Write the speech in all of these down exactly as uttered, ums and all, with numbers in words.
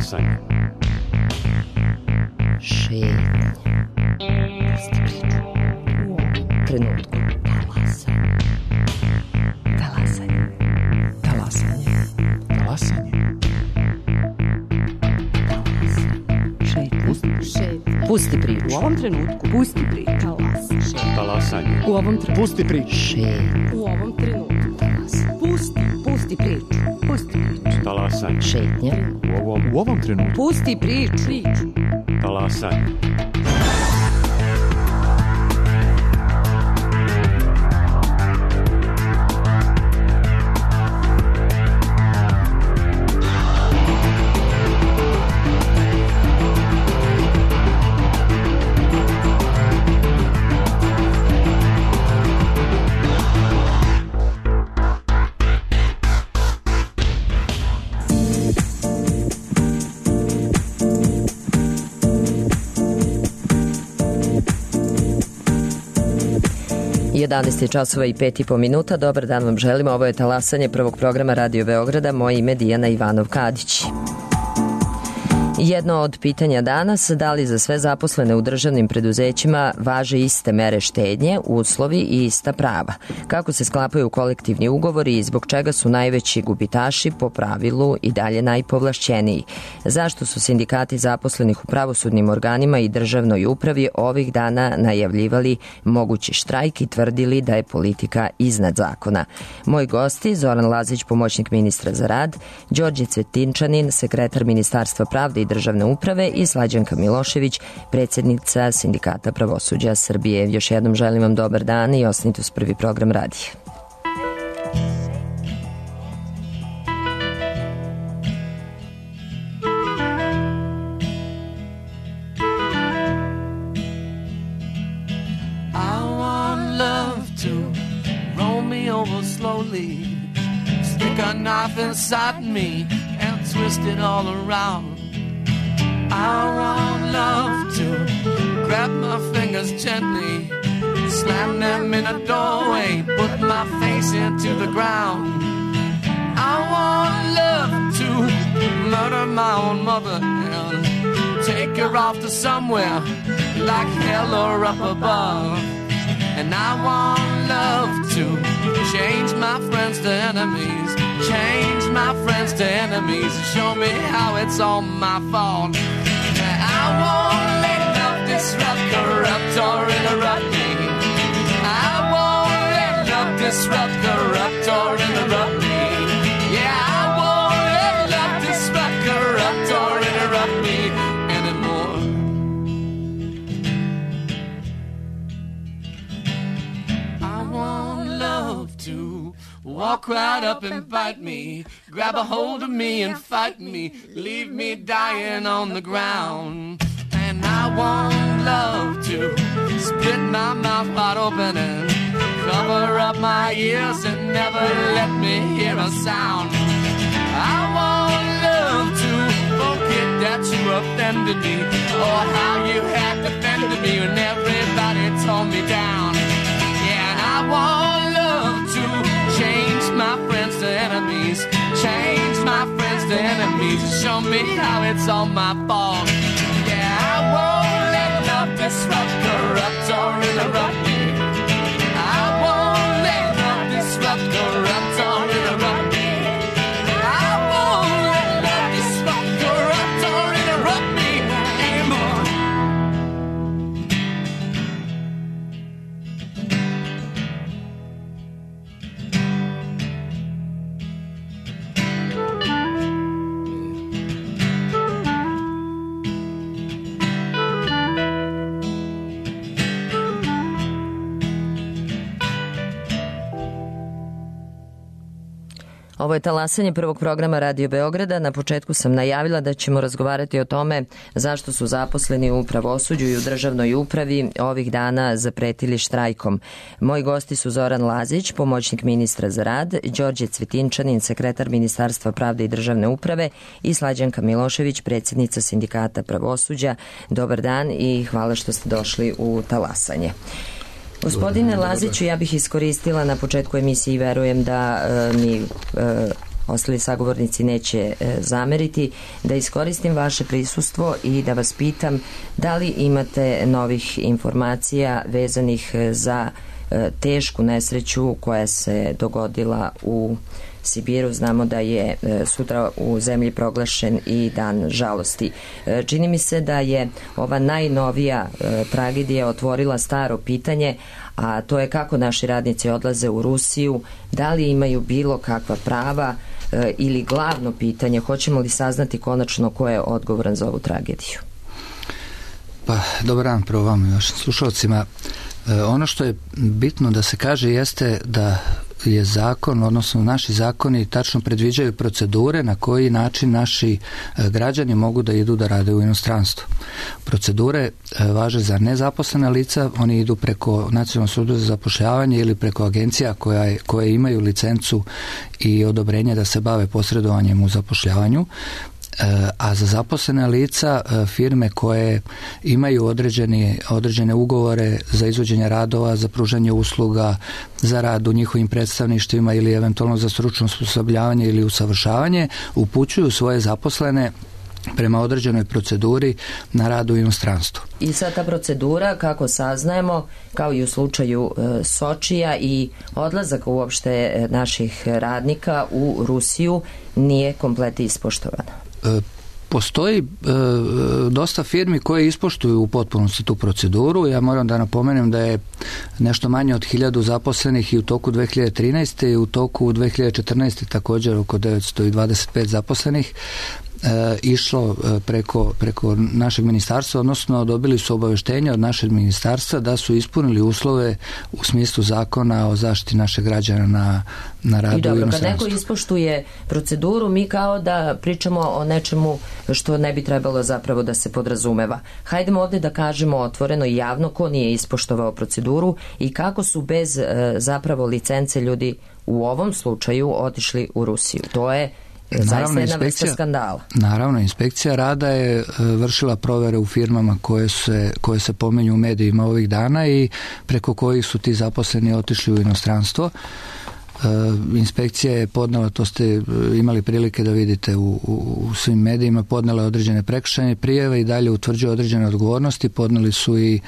Talasanje. Šetnja. Pusti priču. U ovom trenutku. Talasanje. Talasanje. Talasanje. Talasanje. Šetnja. Pusti priču. U ovom trenutku. Pusti priču. Talasanje. Talasanje. U ovom trenutku. Pusti priču. Šetnja. U ovom trenutku. Talasanje. Pusti. Pusti priču. Pusti priču. Talasanje. Šetnja. U ovom, u ovom trenutku. Pusti priču. Priču. Talasanje. jedanaest časova i pet i po minuta. Dobar dan vam želimo. Ovo je Talasanje prvog programa Radio Beograda. Moje ime Dijana Ivanov-Kadić. Jedno od pitanja danas, da li za sve zaposlene u državnim preduzećima važe iste mere štednje, uslovi i ista prava? Kako se sklapaju kolektivni ugovori i zbog čega su najveći gubitaši po pravilu i dalje najpovlašćeniji? Zašto su sindikati zaposlenih u pravosudnim organima i državnoj upravi ovih dana najavljivali mogući štrajk i tvrdili da je politika iznad zakona? Moji gosti, Zoran Lazić, pomoćnik ministra za rad, Đorđe Cvetinčanin, sekretar Ministarstva pravde i državne uprave i Slađanka Milošević, predsjednica Sindikata pravosuđa Srbije. Još jednom želim vam dobar dan i ostanite uz prvi program radija. I want love to roll me over slowly, stick a knife inside me and twist it all around. I want love to grab my fingers gently, slam them in a doorway, put my face into the ground. I want love to murder my own mother and take her off to somewhere like hell or up above. And I want love to change my friends to enemies, change my friends to enemies, show me how it's all my fault. I won't let love disrupt, corrupt, or interrupt me. I won't let love disrupt, corrupt, or interrupt me. Yeah, I won't let love disrupt, corrupt, or interrupt me anymore. I want love to walk right up and bite me, grab a hold of me and fight me, leave me dying on the ground. And I want love to split my mouth wide open and cover up my ears and never let me hear a sound. I want love to forget that you offended me, or how you had defended me when everybody tore me down. Yeah, and I want love to change my friends to enemies, change my friends to enemies, show me how it's all my fault. Yeah, I won't let love disrupt, corrupt, or interrupt me. I won't let love disrupt, corrupt, or interrupt me. I won't let love disrupt, corrupt, or interrupt me anymore. Ovo je Talasanje prvog programa Radio Beograda. Na početku sam najavila da ćemo razgovarati o tome zašto su zaposleni u pravosuđu i u državnoj upravi ovih dana zapretili štrajkom. Moji gosti su Zoran Lazić, pomoćnik ministra za rad, Đorđe Cvetinčanin, sekretar Ministarstva pravde i državne uprave i Slađanka Milošević, predsjednica Sindikata pravosuđa. Dobar dan i hvala što ste došli u Talasanje. Gospodine Laziću, ja bih iskoristila na početku emisije i verujem da uh, mi uh, ostali sagovornici neće zameriti, da iskoristim vaše prisustvo i da vas pitam da li imate novih informacija vezanih za tešku nesreću koja se dogodila u Sibiru. Znamo da je sutra u zemlji proglašen i dan žalosti. Čini mi se da je ova najnovija tragedija otvorila staro pitanje, a to je kako naši radnici odlaze u Rusiju, da li imaju bilo kakva prava ili glavno pitanje, hoćemo li saznati konačno ko je odgovoran za ovu tragediju? Pa, dobar dan prvo vam i vašim slušalcima. Ono što je bitno da se kaže jeste da je zakon, odnosno naši zakoni tačno predviđaju procedure na koji način naši građani mogu da idu da rade u inostranstvo. Procedure važe za nezaposlena lica, oni idu preko Nacionalnog službe za zapošljavanje ili preko agencija koja, koje imaju licencu i odobrenje da se bave posredovanjem u zapošljavanju. A za zaposlene lica firme koje imaju određene, određene ugovore za izvođenje radova, za pružanje usluga, za rad u njihovim predstavništvima ili eventualno za stručno osposobljavanje ili usavršavanje, upućuju svoje zaposlene prema određenoj proceduri na rad u inostranstvu. I sad ta procedura, kako saznajemo, kao i u slučaju e, Sočija i odlazak uopšte naših radnika u Rusiju, nije komplet ispoštovana. E, Postoji e, dosta firmi koje ispoštuju u potpunosti tu proceduru. Ja moram da napomenem da je nešto manje od hiljadu zaposlenih i u toku dve hiljade trinaeste i u toku dve hiljade četrnaeste također oko devetsto dvadeset pet zaposlenih E, išlo preko, preko našeg ministarstva, odnosno dobili su obaveštenje od našeg ministarstva da su ispunili uslove u smislu zakona o zaštiti naših građana na, na radu. I dobro, u inostranstvu. kad neko ispoštuje proceduru, mi kao da pričamo o nečemu što ne bi trebalo zapravo da se podrazumeva. Hajdemo ovdje da kažemo otvoreno i javno ko nije ispoštovao proceduru i kako su bez e, zapravo licence ljudi u ovom slučaju otišli u Rusiju. To je zaista jedna vrsta skandala. Naravno, inspekcija rada je vršila provere u firmama koje se, koje se pominju u medijima ovih dana i preko kojih su ti zaposleni otišli u inostranstvo. Inspekcija je podnela, to ste imali prilike da vidite u, u, u svim medijima, podnela određene prekršajne prijave i dalje utvrđuje određene odgovornosti, podneli su i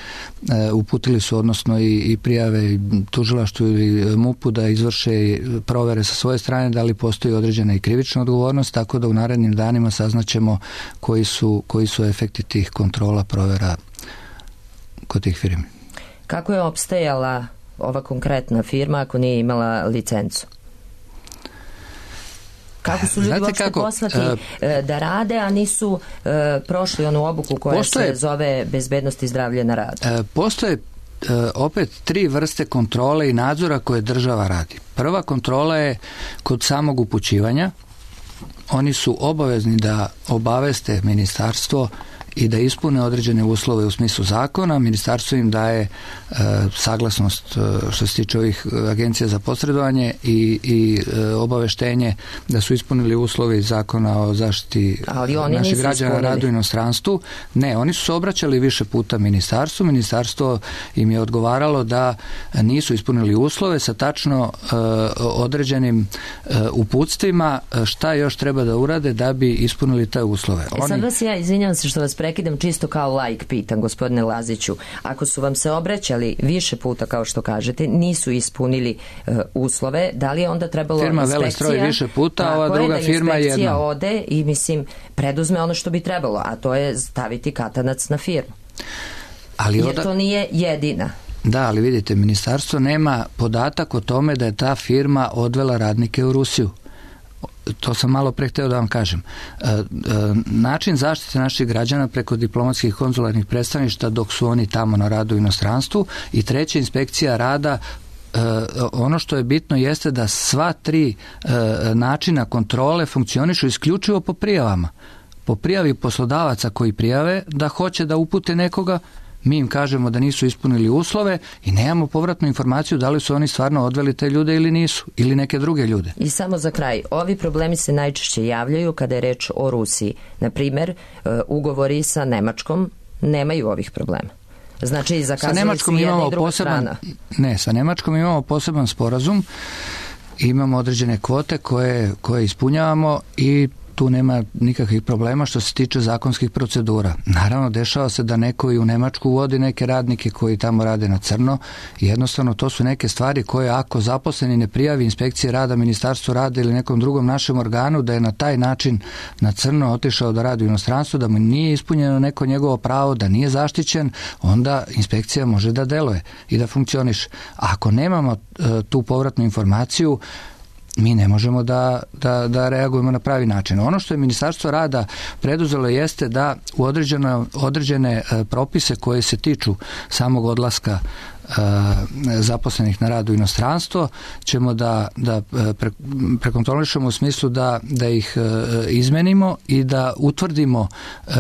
e, uputili su odnosno i, i prijave tužilaštvu ili MUP-u da izvrše provere sa svoje strane da li postoji određena i krivična odgovornost, tako da u narednim danima saznaćemo koji su, koji su efekti tih kontrola provera kod tih firmi. Kako je opstajala ova konkretna firma ako nije imala licencu? Kako su ljudi uopšte poslati uh, da rade, a nisu uh, prošli onu obuku koja postoje, se zove bezbednost i zdravlje na radu? Uh, postoje uh, opet tri vrste kontrole i nadzora koje država radi. Prva kontrola je kod samog upućivanja. Oni su obavezni da obaveste ministarstvo i da ispune određene uslove u smislu zakona. Ministarstvo im daje e, saglasnost e, što se tiče ovih agencija za posredovanje i, i e, obaveštenje da su ispunili uslove iz zakona o zaštiti naših građana radu u inostranstvu. Ne, oni su se obraćali više puta ministarstvu. Ministarstvo im je odgovaralo da nisu ispunili uslove sa tačno e, određenim e, uputstvima šta još treba da urade da bi ispunili te uslove. Oni... Sad vas ja, izvinjam se što vas prekidam, čisto kao laik pitam, gospodine Laziću, ako su vam se obraćali više puta, kao što kažete, nisu ispunili uh, uslove, da li je onda trebalo firma inspekcija... Firma Velestroj više puta, a ova druga je firma jedna. Inspekcija ode i, mislim, preduzme ono što bi trebalo, a to je staviti katanac na firmu. Ali Jer oda... to nije jedina. Da, ali vidite, ministarstvo nema podatak o tome da je ta firma odvela radnike u Rusiju. To sam malo pre hteo da vam kažem. E, e, način zaštite naših građana preko diplomatskih konzularnih predstavništva dok su oni tamo na radu u inostranstvu i treća inspekcija rada. E, ono što je bitno jeste da sva tri e, načina kontrole funkcionišu isključivo po prijavama. Po prijavi poslodavaca koji prijave da hoće da upute nekoga, mi im kažemo da nisu ispunili uslove i nemamo povratnu informaciju da li su oni stvarno odveli te ljude ili nisu, ili neke druge ljude. I samo za kraj, ovi problemi se najčešće javljaju kada je reč o Rusiji. Na primjer, ugovori sa Nemačkom nemaju ovih problema. Znači, zakazali su jedna i druga poseban, strana. Ne, sa Nemačkom imamo poseban sporazum imamo određene kvote koje, koje ispunjavamo i tu nema nikakvih problema što se tiče zakonskih procedura. Naravno, dešava se da neko i u Nemačku uvodi neke radnike koji tamo rade na crno i jednostavno to su neke stvari koje ako zaposleni ne prijavi inspekcije rada, ministarstvo rada ili nekom drugom našem organu da je na taj način na crno otišao da radi u inostranstvu, da mu nije ispunjeno neko njegovo pravo, da nije zaštićen, onda inspekcija može da deluje i da funkcioniše. Ako nemamo e, tu povratnu informaciju, mi ne možemo da, da, da reagujemo na pravi način. Ono što je Ministarstvo rada preduzelo jeste da u određene, određene propise koje se tiču samog odlaska zaposlenih na rad u inostranstvo ćemo da, da pre, prekontrolišemo u smislu da, da ih izmenimo i da utvrdimo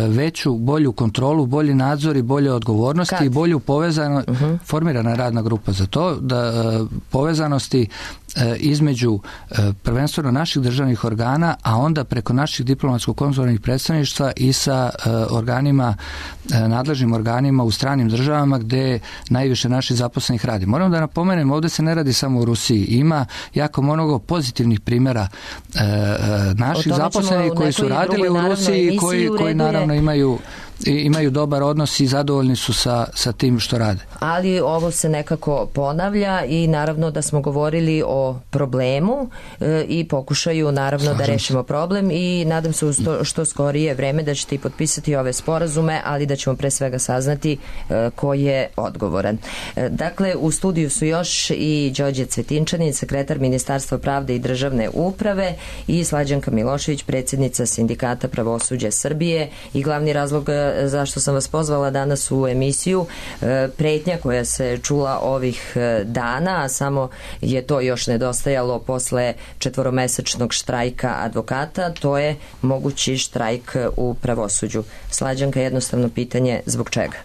veću, bolju kontrolu, bolji nadzor i bolje odgovornosti Kad? i bolju povezano, uh-huh. formirana radna grupa za to, da povezanosti između prvenstveno naših državnih organa, a onda preko naših diplomatsko-konzularnih predstavništva i sa organima, nadležnim organima u stranim državama gde najviše naših zaposlenih radi. Moram da napomenem, ovde se ne radi samo u Rusiji. Ima jako mnogo pozitivnih primjera e, naših zaposlenih koji su radili u Rusiji i koji, koji naravno imaju imaju dobar odnos i zadovoljni su sa, sa tim što rade. Ali ovo se nekako ponavlja i naravno da smo govorili o problemu e, i pokušaju naravno Slažem da rešimo problem i nadam se u sto, što skorije vreme da ćete i potpisati ove sporazume, ali da ćemo pre svega saznati e, ko je odgovoran. E, dakle, u studiju su još i Đorđe Cvetinčanin, sekretar Ministarstva pravde i državne uprave i Slađanka Milošević, predsjednica Sindikata pravosuđa Srbije i glavni razlog zašto sam vas pozvala danas u emisiju, pretnja koja se čula ovih dana, a samo je to još nedostajalo posle četvoromesečnog štrajka advokata, to je mogući štrajk u pravosuđu. Slađanka, jednostavno pitanje, zbog čega?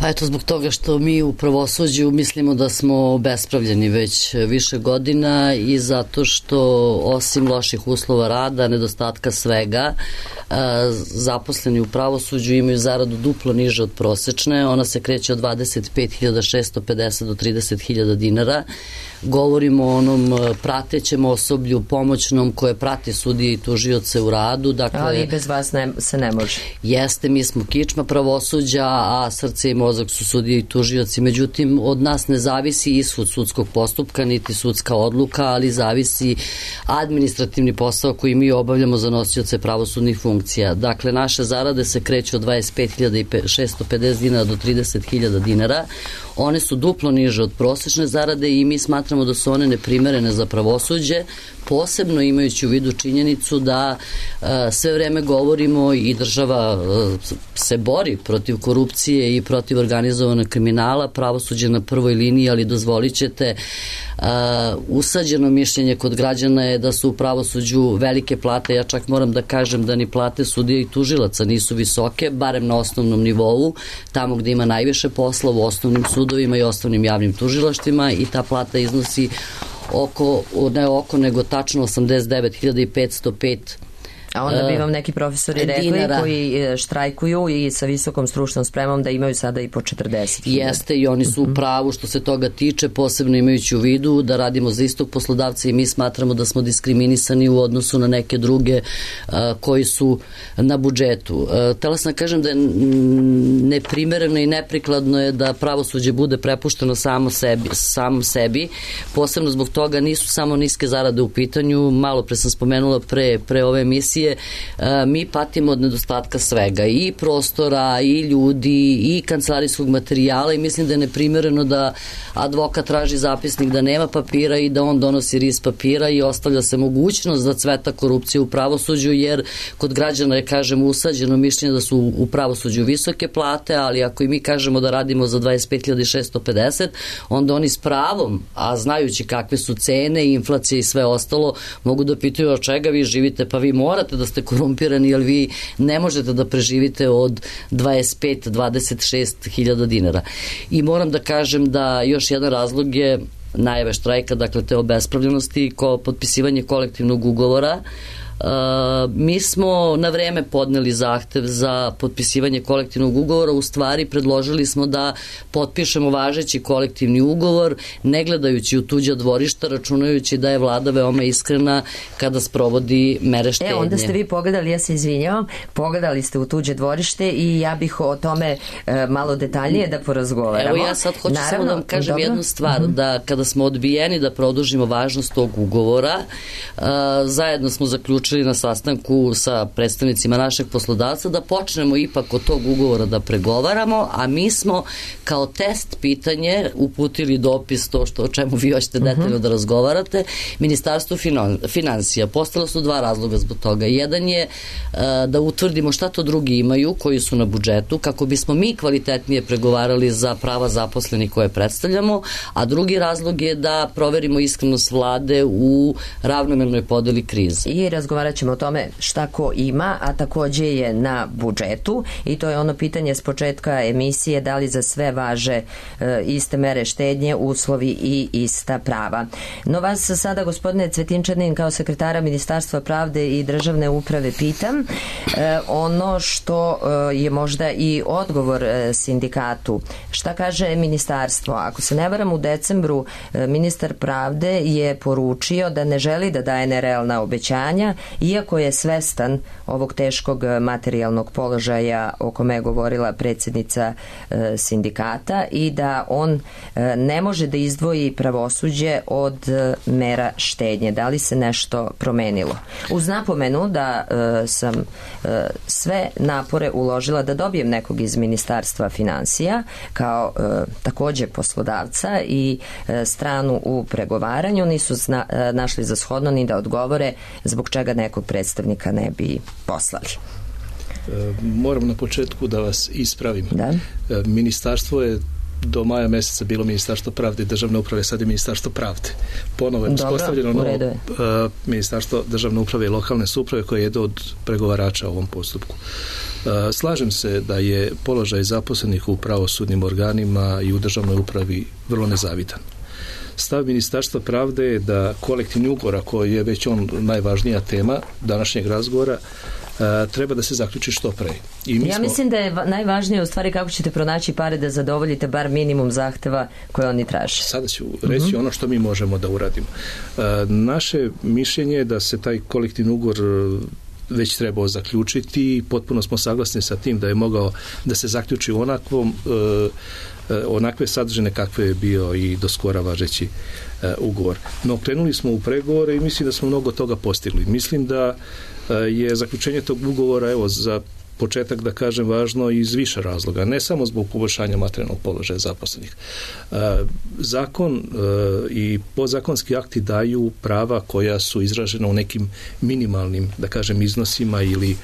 Pa eto, zbog toga što mi u pravosuđu mislimo da smo obespravljeni već više godina i zato što osim loših uslova rada, nedostatka svega, zaposleni u pravosuđu imaju zaradu duplo niže od prosečne, ona se kreće od dvadeset pet hiljada šesto pedeset do trideset hiljada dinara. Govorimo o onom pratećem osoblju, pomoćnom koje prati sudije i tužioce u radu. Dakle, ali bez vas ne, se ne može. Jeste, mi smo kičma pravosuđa, a srce i mozak su sudije i tužioci. Međutim, od nas ne zavisi ishod sudskog postupka, niti sudska odluka, ali zavisi administrativni posao koji mi obavljamo za nosioce pravosudnih funkcija. Dakle, naše zarade se kreću od dvadeset pet hiljada šesto pedeset dinara do trideset hiljada dinara. One su duplo niže od prosečne zarade i mi smatramo da su one neprimerene za pravosuđe, posebno imajući u vidu činjenicu da uh, sve vreme govorimo i država uh, se bori protiv korupcije i protiv organizovanog kriminala, pravosuđe na prvoj liniji, ali dozvolit ćete uh, usađeno mišljenje kod građana je da su u pravosuđu velike plate, ja čak moram da kažem da ni plate sudija i tužilaca nisu visoke, barem na osnovnom nivou, tamo gde ima najviše posla u osnovnim sudovima i osnovnim javnim tužilaštvima i ta plata iznosi oko, ne oko, nego tačno osamdeset devet hiljada petsto pet. A onda bi vam neki profesori rekli dinara. Koji štrajkuju i sa visokom stručnom spremom da imaju sada i po četrdeset hiljada. Jeste, i oni su u pravu što se toga tiče, posebno imajući u vidu da radimo za istog poslodavca i mi smatramo da smo diskriminisani u odnosu na neke druge uh, koji su na budžetu. Uh, tela sam kažem da je neprimereno i neprikladno je da pravosuđe bude prepušteno samo sebi, samom sebi, posebno zbog toga nisu samo niske zarade u pitanju, malo pre sam spomenula pre, pre ove emisije, mi patimo od nedostatka svega, i prostora, i ljudi, i kancelarijskog materijala i mislim da je neprimereno da advokat traži zapisnik da nema papira i da on donosi ris papira i ostavlja se mogućnost da cveta korupcija u pravosuđu, jer kod građana je, kažem, usađeno mišljenje da su u pravosuđu visoke plate, ali ako i mi kažemo da radimo za dvadeset pet hiljada šesto pedeset, onda oni s pravom, a znajući kakve su cene, inflacije i sve ostalo, mogu da pitaju od čega vi živite, pa vi morate da ste korumpirani, jer vi ne možete da preživite od dvadeset pet do dvadeset šest hiljada dinara. I moram da kažem da još jedan razlog je najave štrajka, dakle te obespravljenosti, ko potpisivanje kolektivnog ugovora Mi smo na vreme podneli zahtev za potpisivanje kolektivnog ugovora, u stvari predložili smo da potpišemo važeći kolektivni ugovor, ne gledajući u tuđa dvorišta, računajući da je vlada veoma iskrena kada sprovodi mere štednje. E, onda ste vi pogledali, ja se izvinjavam, pogledali ste u tuđe dvorište i ja bih o tome e, malo detaljnije da porazgovaramo. Evo ja sad hoću Naravno, samo da vam kažem dobro. jednu stvar, uh-huh. da kada smo odbijeni da produžimo važnost tog ugovora, uh, zajedno smo zaključili na sastanku sa predstavnicima našeg poslodavca da počnemo ipak od tog ugovora da pregovaramo, a mi smo kao test pitanje uputili dopis, to što o čemu vi hoćete detaljno uh-huh. da razgovarate, Ministarstvu finansija. Postala su dva razloga zbog toga. Jedan je uh, da utvrdimo šta to drugi imaju koji su na budžetu, kako bismo mi kvalitetnije pregovarali za prava zaposlenih koje predstavljamo, a drugi razlog je da proverimo iskrenost vlade u ravnomernoj podeli krize. I razgovarat ćemo o tome šta ko ima, a takođe je na budžetu i to je ono pitanje s početka emisije, da li za sve važe e, iste mere štednje, uslovi i ista prava. No vas sada, gospodine Cvetinčanin, kao sekretara Ministarstva pravde i državne uprave pitam e, ono što e, je možda i odgovor e, sindikatu. Šta kaže ministarstvo? Ako se ne varam, u decembru e, ministar pravde je poručio da ne želi da daje nerealna obećanja, iako je svestan ovog teškog materijalnog položaja o kome je govorila predsjednica e, sindikata i da on e, ne može da izdvoji pravosuđe od e, mera štednje. Da li se nešto promenilo? Uz napomenu da e, sam e, sve napore uložila da dobijem nekog iz Ministarstva finansija kao e, takođe poslodavca i e, stranu u pregovaranju, nisu zna, e, našli za shodno ni da odgovore zbog čega nekog predstavnika ne bi poslali. E, moram na početku da vas ispravim. Da? E, ministarstvo je do maja meseca bilo Ministarstvo pravde i državne uprave, sad je Ministarstvo pravde. Ponovo je uspostavljeno novo uh, Ministarstvo državne uprave i lokalne samouprave koje je jedno od pregovarača u ovom postupku. Uh, slažem se da je položaj zaposlenih u pravosudnim organima i u državnoj upravi vrlo nezavidan. Stav Ministarstva pravde je da kolektivni ugovor, koji je već on najvažnija tema današnjeg razgovora, treba da se zaključi što pre. I mi ja smo... mislim da je najvažnije u stvari kako ćete pronaći pare da zadovoljite bar minimum zahteva koje oni traže. Sada ću reći mm-hmm. ono što mi možemo da uradimo. Naše mišljenje je da se taj kolektivni ugovor već trebao zaključiti i potpuno smo saglasni sa tim da je mogao da se zaključi u onakvom onakve sadržine kakve je bio i do skora važeći ugovor. No, krenuli smo u pregovore i mislim da smo mnogo toga postigli. Mislim da je zaključenje tog ugovora, evo, za početak da kažem, važno iz više razloga, ne samo zbog poboljšanja materijalnog položaja zaposlenih. Zakon i podzakonski akti daju prava koja su izražena u nekim minimalnim, da kažem, iznosima ili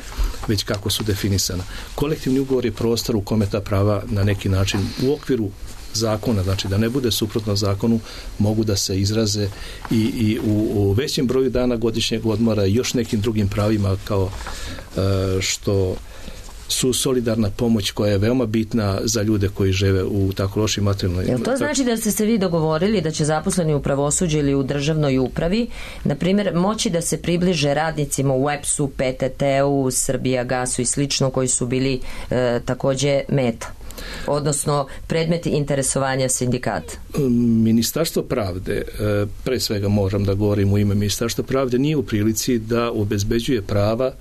već kako su definisana. Kolektivni ugovor je prostor u kome ta prava na neki način u okviru zakona, znači da ne bude suprotno zakonu, mogu da se izraze i, i u, u većem broju dana godišnjeg odmora i još nekim drugim pravima kao e, što su solidarna pomoć koja je veoma bitna za ljude koji žive u tako lošim materijalnoj... Jel to znači da ste se vi dogovorili da će zaposleni u pravosuđu ili u državnoj upravi, na primjer, moći da se približe radnicima u E P S-u, P T T-u, Srbijagasu i slično, koji su bili e, takođe meta? Odnosno predmeti interesovanja sindikata? Ministarstvo pravde, pre svega moram da govorim u ime Ministarstva pravde, nije u prilici da obezbeđuje prava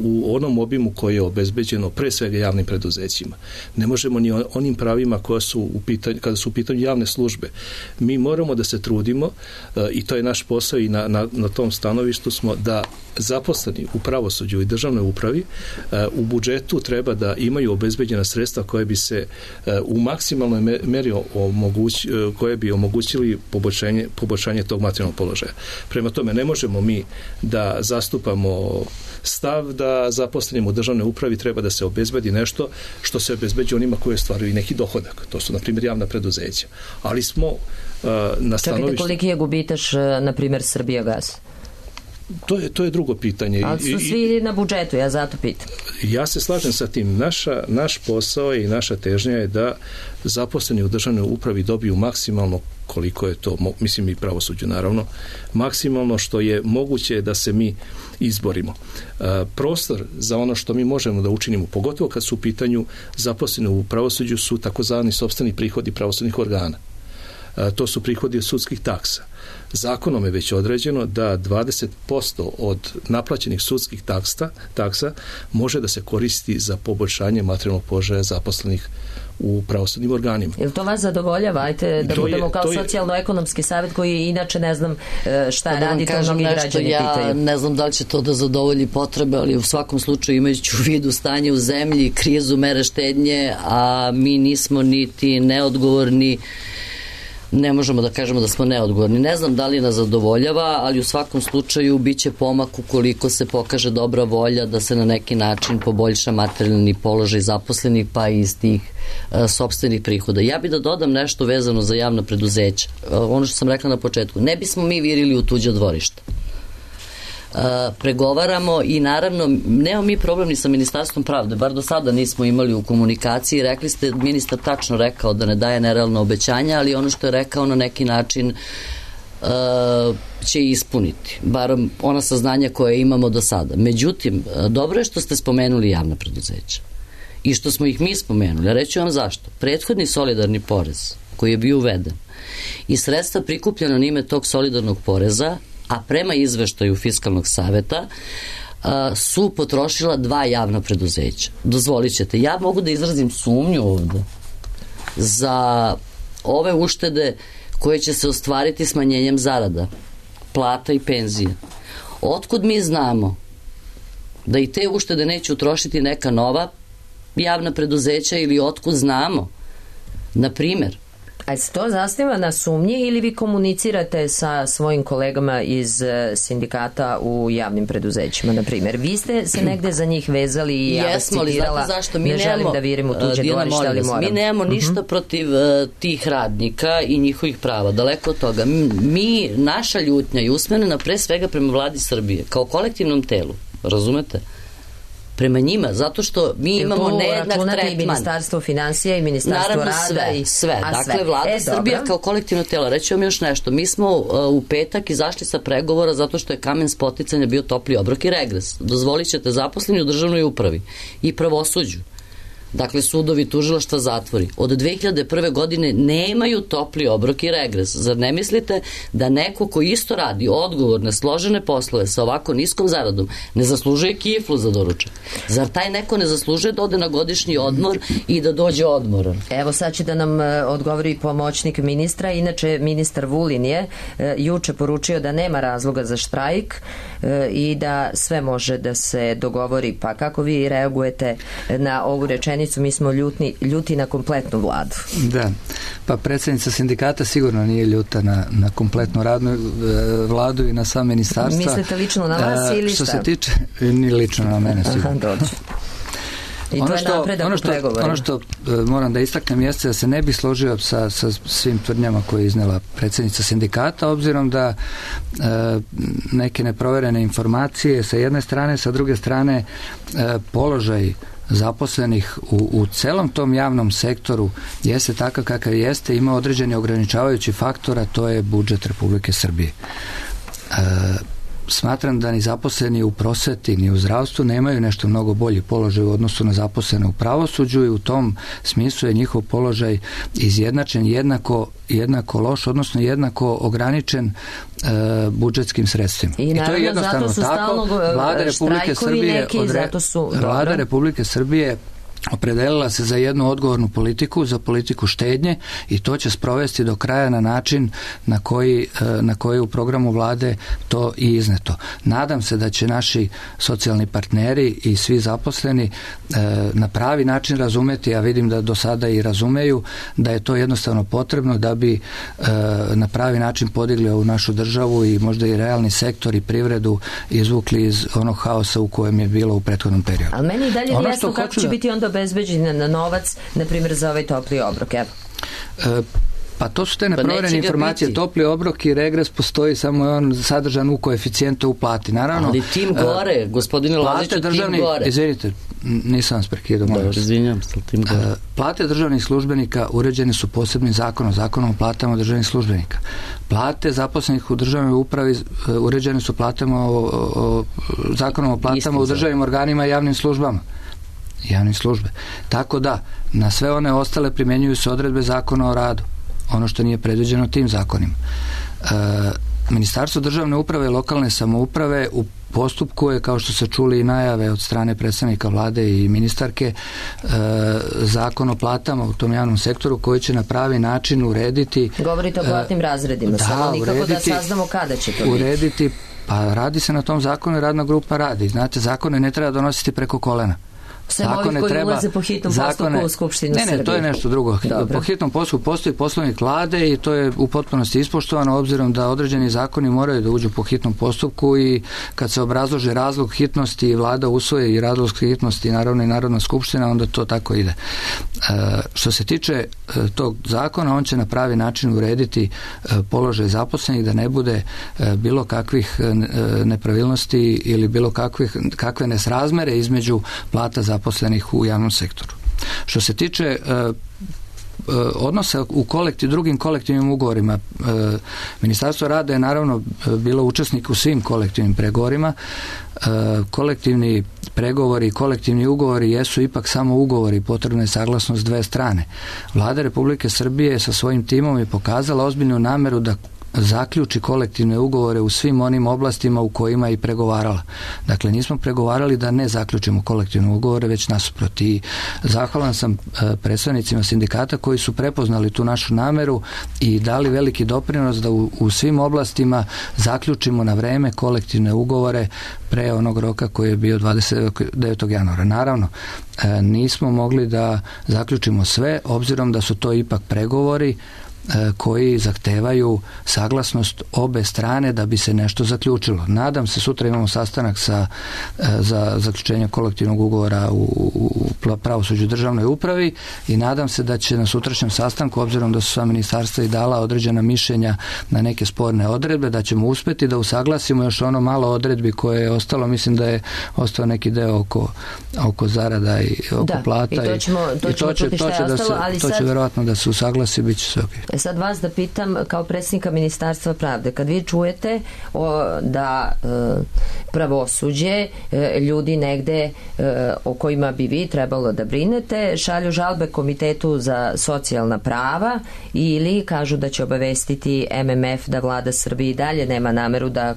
u onom obimu koje je obezbeđeno pre svega javnim preduzećima. Ne možemo ni onim pravima koja su u pitanju, kada su u pitanju javne službe. Mi moramo da se trudimo i to je naš posao i na, na, na tom stanovištu smo da zaposleni u pravosuđu i državnoj upravi u budžetu treba da imaju obezbeđena sredstva koje bi se u maksimalnoj meri omoguć, koje bi omogućili poboljšanje, poboljšanje tog materijalnog položaja. Prema tome, ne možemo mi da zastupamo stav da zaposlenim u državnoj upravi treba da se obezbedi nešto što se obezbeđuje onima koji ostvaruju i neki dohodak. To su, na primjer, javna preduzeća. Ali smo uh, na stanovištu... Čekajte, koliki je gubitaš, na primjer, Srbijagas? To je, to je drugo pitanje. Ali su svi na budžetu, ja zato pitam. Ja se slažem sa tim. Naša, naš posao i naša težnja je da zaposleni u državnoj upravi dobiju maksimalno koliko je to, mislim i pravosuđu naravno, maksimalno što je moguće da se mi izborimo. E, prostor za ono što mi možemo da učinimo, pogotovo kad su u pitanju zaposleni u pravosuđu, su takozvani sopstveni prihodi pravosudnih organa. E, to su prihodi od sudskih taksa. Zakonom je već određeno da dvadeset posto od naplaćenih sudskih taksa, taksa može da se koristi za poboljšanje materijalnog položaja zaposlenih u pravosudnim organima. Jel to vas zadovoljava? Ajte da to budemo je, kao socijalno-ekonomski savjet koji inače ne znam šta da radi, to mnogi građani ja pitaju. Ne znam da li će to da zadovolji potrebe, ali u svakom slučaju imajući u vidu stanje u zemlji, krizu, mere štednje, a mi nismo niti neodgovorni, ne možemo da kažemo da smo neodgovorni. Ne znam da li nas zadovoljava, ali u svakom slučaju biće pomak ukoliko se pokaže dobra volja da se na neki način poboljša materijalni položaj zaposlenih, pa i iz tih e, sopstvenih prihoda. Ja bih da dodam nešto vezano za javna preduzeća. E, ono što sam rekla na početku, ne bismo mi virili u tuđe dvorište. Uh, pregovaramo i naravno nemamo mi problem ni sa Ministarstvom pravde, bar do sada nismo imali u komunikaciji. Rekli ste, ministar tačno rekao da ne daje nerealno obećanja, ali ono što je rekao na neki način uh, će ispuniti, bar ona saznanja koje imamo do sada. Međutim, dobro je što ste spomenuli javna preduzeća i što smo ih mi spomenuli, a reću vam zašto. Prethodni solidarni porez koji je bio uveden i sredstva prikupljena na ime tog solidarnog poreza, a prema izveštaju Fiskalnog saveta a, su potrošila dva javna preduzeća. Dozvolit ćete, ja mogu da izrazim sumnju ovde za ove uštede koje će se ostvariti smanjenjem zarada, plata i penzija. Otkud mi znamo da i te uštede neće utrošiti neka nova javna preduzeća ili otkud znamo, na primjer, A se to zasniva na sumnji ili vi komunicirate sa svojim kolegama iz sindikata u javnim preduzećima, na primjer? Vi ste se negde za njih vezali i ja vas citirala, zašto? Mi ne nemamo, želim da virim u tuđe dvorište, ali moram. Mi nemamo ništa uh-huh. protiv uh, tih radnika i njihovih prava, daleko od toga. Mi, naša ljutnja je usmerena pre svega prema vladi Srbije, kao kolektivnom telu, razumete? Prema njima, zato što mi imamo nejednak tretman. I Ministarstvo finansija i Ministarstvo Naravno, rada. Sve, i, sve. A dakle, sve. vlada e, Srbija dobro. kao kolektivno telo. Reći vam još nešto. Mi smo uh, u petak izašli sa pregovora zato što je kamen spoticanja bio topli obrok i regres. Dozvolit ćete zaposleni u državnoj upravi i pravosuđu. Dakle, sudovi, tužilaštva, zatvori. Od dve hiljade prve. godine nemaju topli obrok i regres. Zar ne mislite da neko ko isto radi odgovorne, složene poslove sa ovako niskom zaradom ne zaslužuje kiflu za doručak? Zar taj neko ne zaslužuje da ode na godišnji odmor i da dođe odmoran? Evo sad će da nam odgovori pomoćnik ministra. Inače, ministar Vulin je juče poručio da nema razloga za štrajk i da sve može da se dogovori. Pa kako vi reagujete na ovu rečenicu? Mi smo ljutni, ljuti na kompletnu vladu. Da, pa predsjednica sindikata sigurno nije ljuta na, na kompletnu radnu vladu i na sam ministarstva. Mislite lično na vas ili šta? Što se tiče, ni lično na mene sigurno. Aha, dođe. I ono to što, je napredak ono u što, pregovorima. ono što uh, moram da istaknem jeste da se ne bi složio sa, sa svim tvrdnjama koje je iznela predsjednica sindikata, obzirom da uh, neke neproverene informacije sa jedne strane, sa druge strane uh, položaj zaposlenih u, u celom tom javnom sektoru jeste takav kakav jeste, ima određeni ograničavajući faktor, a to je budžet Republike Srbije. E, smatram da ni zaposleni u prosveti ni u zdravstvu nemaju nešto mnogo bolji položaj u odnosu na zaposlene u pravosuđu i u tom smislu je njihov položaj izjednačen jednako, jednako loš, odnosno jednako ograničen e, budžetskim sredstvima. I, naravno, I to je jednostavno zato su tako. Vlada Republike Srbije, neki, odre, zato su, Vlada Republike Srbije opredelila se za jednu odgovornu politiku, za politiku štednje i to će sprovesti do kraja na način na koji, na koji u programu vlade to i izneto. Nadam se da će naši socijalni partneri i svi zaposleni na pravi način razumeti, a vidim da do sada i razumeju, da je to jednostavno potrebno da bi na pravi način podigli ovu našu državu i možda i realni sektor i privredu izvukli iz onog haosa u kojem je bilo u prethodnom periodu. Ali meni i dalje je jasno kako će da... biti onda obezbeđen na novac, na primjer za ovaj topli obrok, evo. E, Pa to su te neproverene informacije. Biti. Topli obrok i regres postoji, samo je on sadržan u koeficijentu u plati. Naravno, ali tim gore, uh, gospodine Laziću, tim gore. Izvinite, nisam vas prekidao. Da, izvinjam se, tim gore. Uh, plate državnih službenika uređene su posebnim zakonom, zakonom o platama državnih službenika. Plate zaposlenih u državnoj upravi uh, uređene su platama o, o, zakonom o platama Istim u državnim organima i javnim službama. Javnim službe. Tako da, na sve one ostale primjenjuju se odredbe zakona o radu. Ono što nije predviđeno tim zakonima. E, Ministarstvo državne uprave i lokalne samouprave u postupku je, kao što se čuli i najave od strane predstavnika vlade i ministarke, e, zakon o platama u tom javnom sektoru koji će na pravi način urediti... Govorite o platnim razredima, da, samo nikako urediti, da saznamo kada će to urediti, biti. Pa radi se na tom zakonu i radna grupa radi. Znate, zakone ne treba donositi preko kolena. Sve ovi koji treba, ulaze po hitnom zakone, postupku u Skupštinu Srbije. Ne, ne, to je nešto drugo. Dobro. Po hitnom postupku postoji poslovnik vlade i to je u potpunosti ispoštovano, obzirom da određeni zakoni moraju da uđu po hitnom postupku i kad se obrazloži razlog hitnosti i vlada usvoje i razlog hitnosti, naravno i Narodna skupština, onda to tako ide. E, što se tiče e, tog zakona, on će na pravi način urediti e, položaj zaposlenih, da ne bude e, bilo kakvih e, nepravilnosti ili bilo kakvih, kakve nesrazmere između plata za zaposlenih u javnom sektoru. Što se tiče uh, uh, odnosa u kolektiv, drugim kolektivnim ugovorima, uh, Ministarstvo rada je naravno bilo učesnik u svim kolektivnim pregovorima. Uh, kolektivni pregovori i kolektivni ugovori jesu ipak samo ugovori, potrebna je saglasnost dve strane. Vlada Republike Srbije sa svojim timom je pokazala ozbiljnu nameru da zaključi kolektivne ugovore u svim onim oblastima u kojima je i pregovarala. Dakle, nismo pregovarali da ne zaključimo kolektivne ugovore, već nasuprot. I zahvalan sam predstavnicima sindikata koji su prepoznali tu našu nameru i dali veliki doprinos da u, u svim oblastima zaključimo na vreme kolektivne ugovore pre onog roka koji je bio dvadeset devetog januara. Naravno, nismo mogli da zaključimo sve, obzirom da su to ipak pregovori koji zahtevaju saglasnost obe strane da bi se nešto zaključilo. Nadam se, sutra imamo sastanak sa, za zaključenje kolektivnog ugovora u, u pravosuđu državnoj upravi i nadam se da će na sutrašnjem sastanku, obzirom da su sva ministarstva i dala određena mišljenja na neke sporne odredbe, da ćemo uspeti da usaglasimo još ono malo odredbi koje je ostalo. Mislim da je ostao neki deo oko, oko zarada i oko da, plata. I to ćemo, to ćemo čuti šta je ostalo, ali to će sad... verovatno da se usaglasi, bit će sve ok. Sad vas da pitam kao predsjednika Ministarstva pravde, kad vi čujete o, da e, pravosuđe, e, ljudi negde e, o kojima bi vi trebalo da brinete, šalju žalbe Komitetu za socijalna prava ili kažu da će obavestiti M M F da vlada Srbije i dalje nema nameru da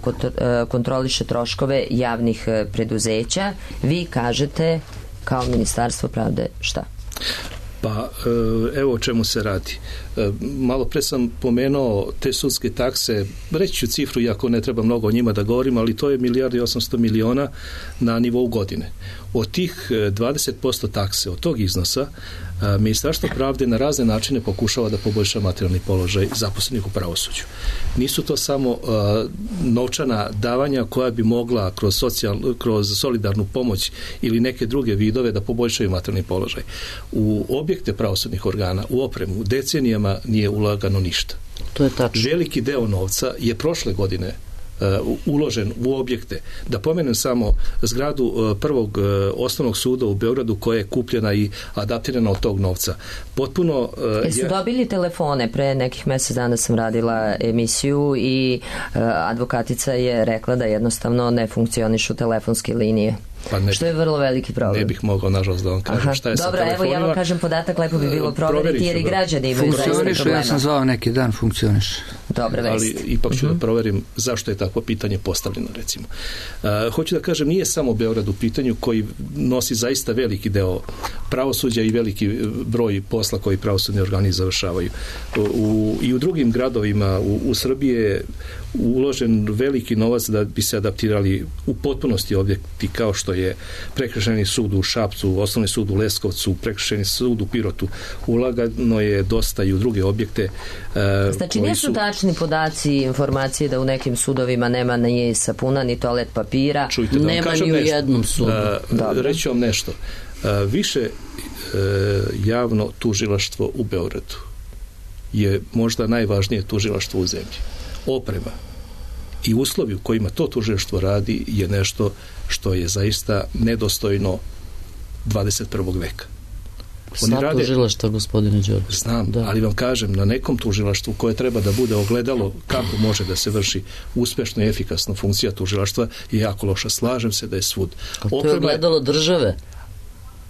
kontroliše troškove javnih preduzeća, vi kažete kao Ministarstvo pravde šta? Pa evo o čemu se radi. Malo pre sam pomenuo te sudske takse, reći ću cifru iako ne treba mnogo o njima da govorim, ali to je milijardu i osamsto miliona na nivou godine. Od tih dvadeset posto takse, od tog iznosa, Ministarstvo pravde na razne načine pokušava da poboljša materijalni položaj zaposlenih u pravosuđu. Nisu to samo uh, novčana davanja koja bi mogla kroz, socijal, kroz solidarnu pomoć ili neke druge vidove da poboljšaju materijalni položaj. U objekte pravosudnih organa, u opremu, decenijama nije ulagano ništa. To je tačno. Veliki deo novca je prošle godine Uh, uložen u objekte. Da pomenem samo zgradu uh, prvog uh, osnovnog suda u Beogradu koja je kupljena i adaptirana od tog novca. Potpuno... Uh, Jesu je... dobili telefone? Pre nekih mjesec dana sam radila emisiju i uh, advokatica je rekla da jednostavno ne funkcionišu telefonske linije. Pa ne, što je vrlo veliki problem. Ne bih mogao, nažalost, da vam kažem. Aha. Šta je Dobro, sa telefonima. Evo ja vam kažem podatak, lepo bi bilo proveriti jer i građani imaju zaista problema. Ja sam zvao neki dan, funkcioniš. Dobre vesti. Ali ipak ću uh-huh. da proverim zašto je takvo pitanje postavljeno, recimo. Uh, hoću da kažem, nije samo Beograd u pitanju koji nosi zaista veliki deo pravosuđa i veliki broj posla koji pravosudni organi završavaju. U, I u drugim gradovima u, u Srbiji je uložen veliki novac da bi se adaptirali u potpunosti objekti kao što je prekršajni sud u Šapcu, osnovni sud u Leskovcu, prekršajni sud u Pirotu. Ulagano je dosta i u druge objekte. Uh, znači nisu su... tačni podaci i informacije da u nekim sudovima nema ni sapuna, ni toalet papira. Čujte, da nema ni u nešto. jednom sudu. Uh, reći vam nešto. Uh, više uh, javno tužilaštvo u Beogradu je možda najvažnije tužilaštvo u zemlji. Oprema i uslovi u kojima to tužilaštvo radi je nešto što je zaista nedostojno dvadeset prvog veka. Sva rade... tužilaštva, gospodine Đorđe. Znam, da. Ali vam kažem, na nekom tužilaštvu koje treba da bude ogledalo kako može da se vrši uspešno i efikasno funkcija tužilaštva je jako loša. Slažem se da je svud. A to je ogledalo države.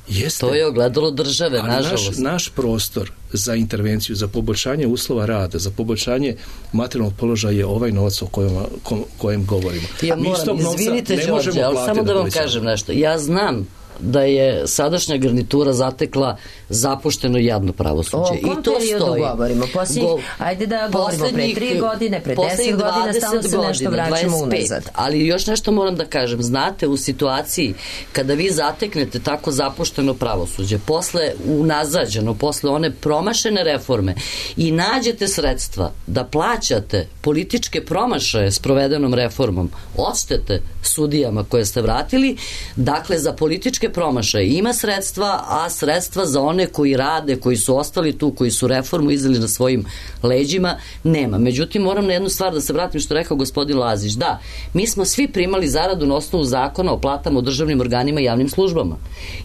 Jeste. To je ogledalo države, ali nažalost. Naš, naš prostor za intervenciju, za poboljšanje uslova rada, za poboljšanje materijalnog položaja je ovaj novac o kojem, ko, kojem govorimo. Ja moram, izvinite Đorđe, ali samo da vam kažem nešto. Ja znam da je sadašnja garnitura zatekla zapušteno i jadno pravosuđe. O kom periodu govorimo? Posljednji, Go, ajde da govorimo pre tri godine, pre deset godina, stalno se nešto vraćamo unazad. Ali još nešto moram da kažem. Znate, u situaciji kada vi zateknete tako zapušteno pravosuđe, posle unazađeno, posle one promašene reforme i nađete sredstva da plaćate političke promašaje s provedenom reformom, odštete sudijama koje ste vratili, dakle za političke promašaje ima sredstva, a sredstva za one koji rade, koji su ostali tu, koji su reformu izdali na svojim leđima, nema. Međutim, moram na jednu stvar da se vratim što rekao gospodin Lazić. Da, mi smo svi primali zaradu na osnovu zakona o platama u državnim organima i javnim službama.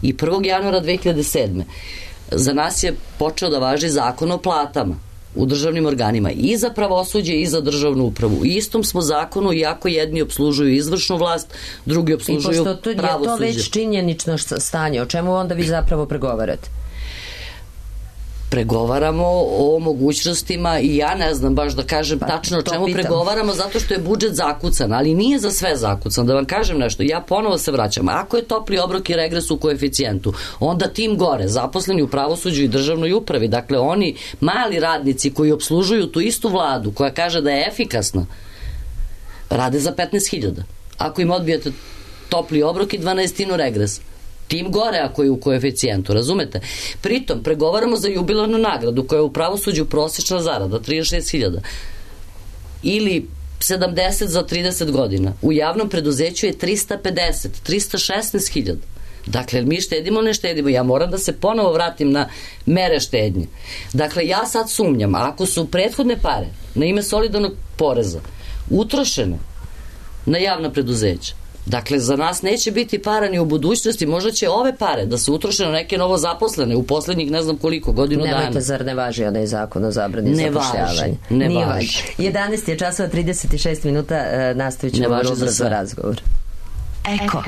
I prvog januara dve hiljade sedme za nas je počeo da važi zakon o platama u državnim organima i za pravosuđe i za državnu upravu. U istom smo zakonu, iako jedni obslužuju izvršnu vlast, drugi obslužuju pravosuđe. I pošto je to već činjenično stanje, o čemu onda vi zapravo pregovarate? Pregovaramo o mogućnostima i ja ne znam baš da kažem pa, tačno o čemu pitam. Pregovaramo zato što je budžet zakucan, ali nije za sve zakucan. Da vam kažem nešto, ja ponovo se vraćam. Ako je topli obrok i regres u koeficijentu, onda tim gore, zaposleni u pravosuđu i državnoj upravi, dakle oni mali radnici koji obslužuju tu istu vladu koja kaže da je efikasna, rade za petnaest hiljada. Ako im odbijete topli obrok i dvanaestinu regres, tim gore ako je u koeficijentu, razumete? Pritom, pregovaramo za jubilarnu nagradu koja je u pravosuđu prosječna zarada, trideset šest hiljada. Ili sedamdeset za trideset godina. U javnom preduzeću je trista pedeset, trista šesnaest hiljada. Dakle, mi štedimo, ne štedimo. Ja moram da se ponovo vratim na mere štednje. Dakle, ja sad sumnjam, ako su prethodne pare na ime solidarnog poreza utrošene na javna preduzeća, dakle, za nas neće biti para ni u budućnosti, možda će ove pare da se utroše na neke novo zaposlene u poslednjih ne znam koliko godinu dana. Nemojte, zar ne važi onaj zakon o zabrani zapošljavanja? Ne važi, ne važi. jedanaest je časova trideset šest minuta, nastavit ćemo vrlo brzo razgovor. Eko.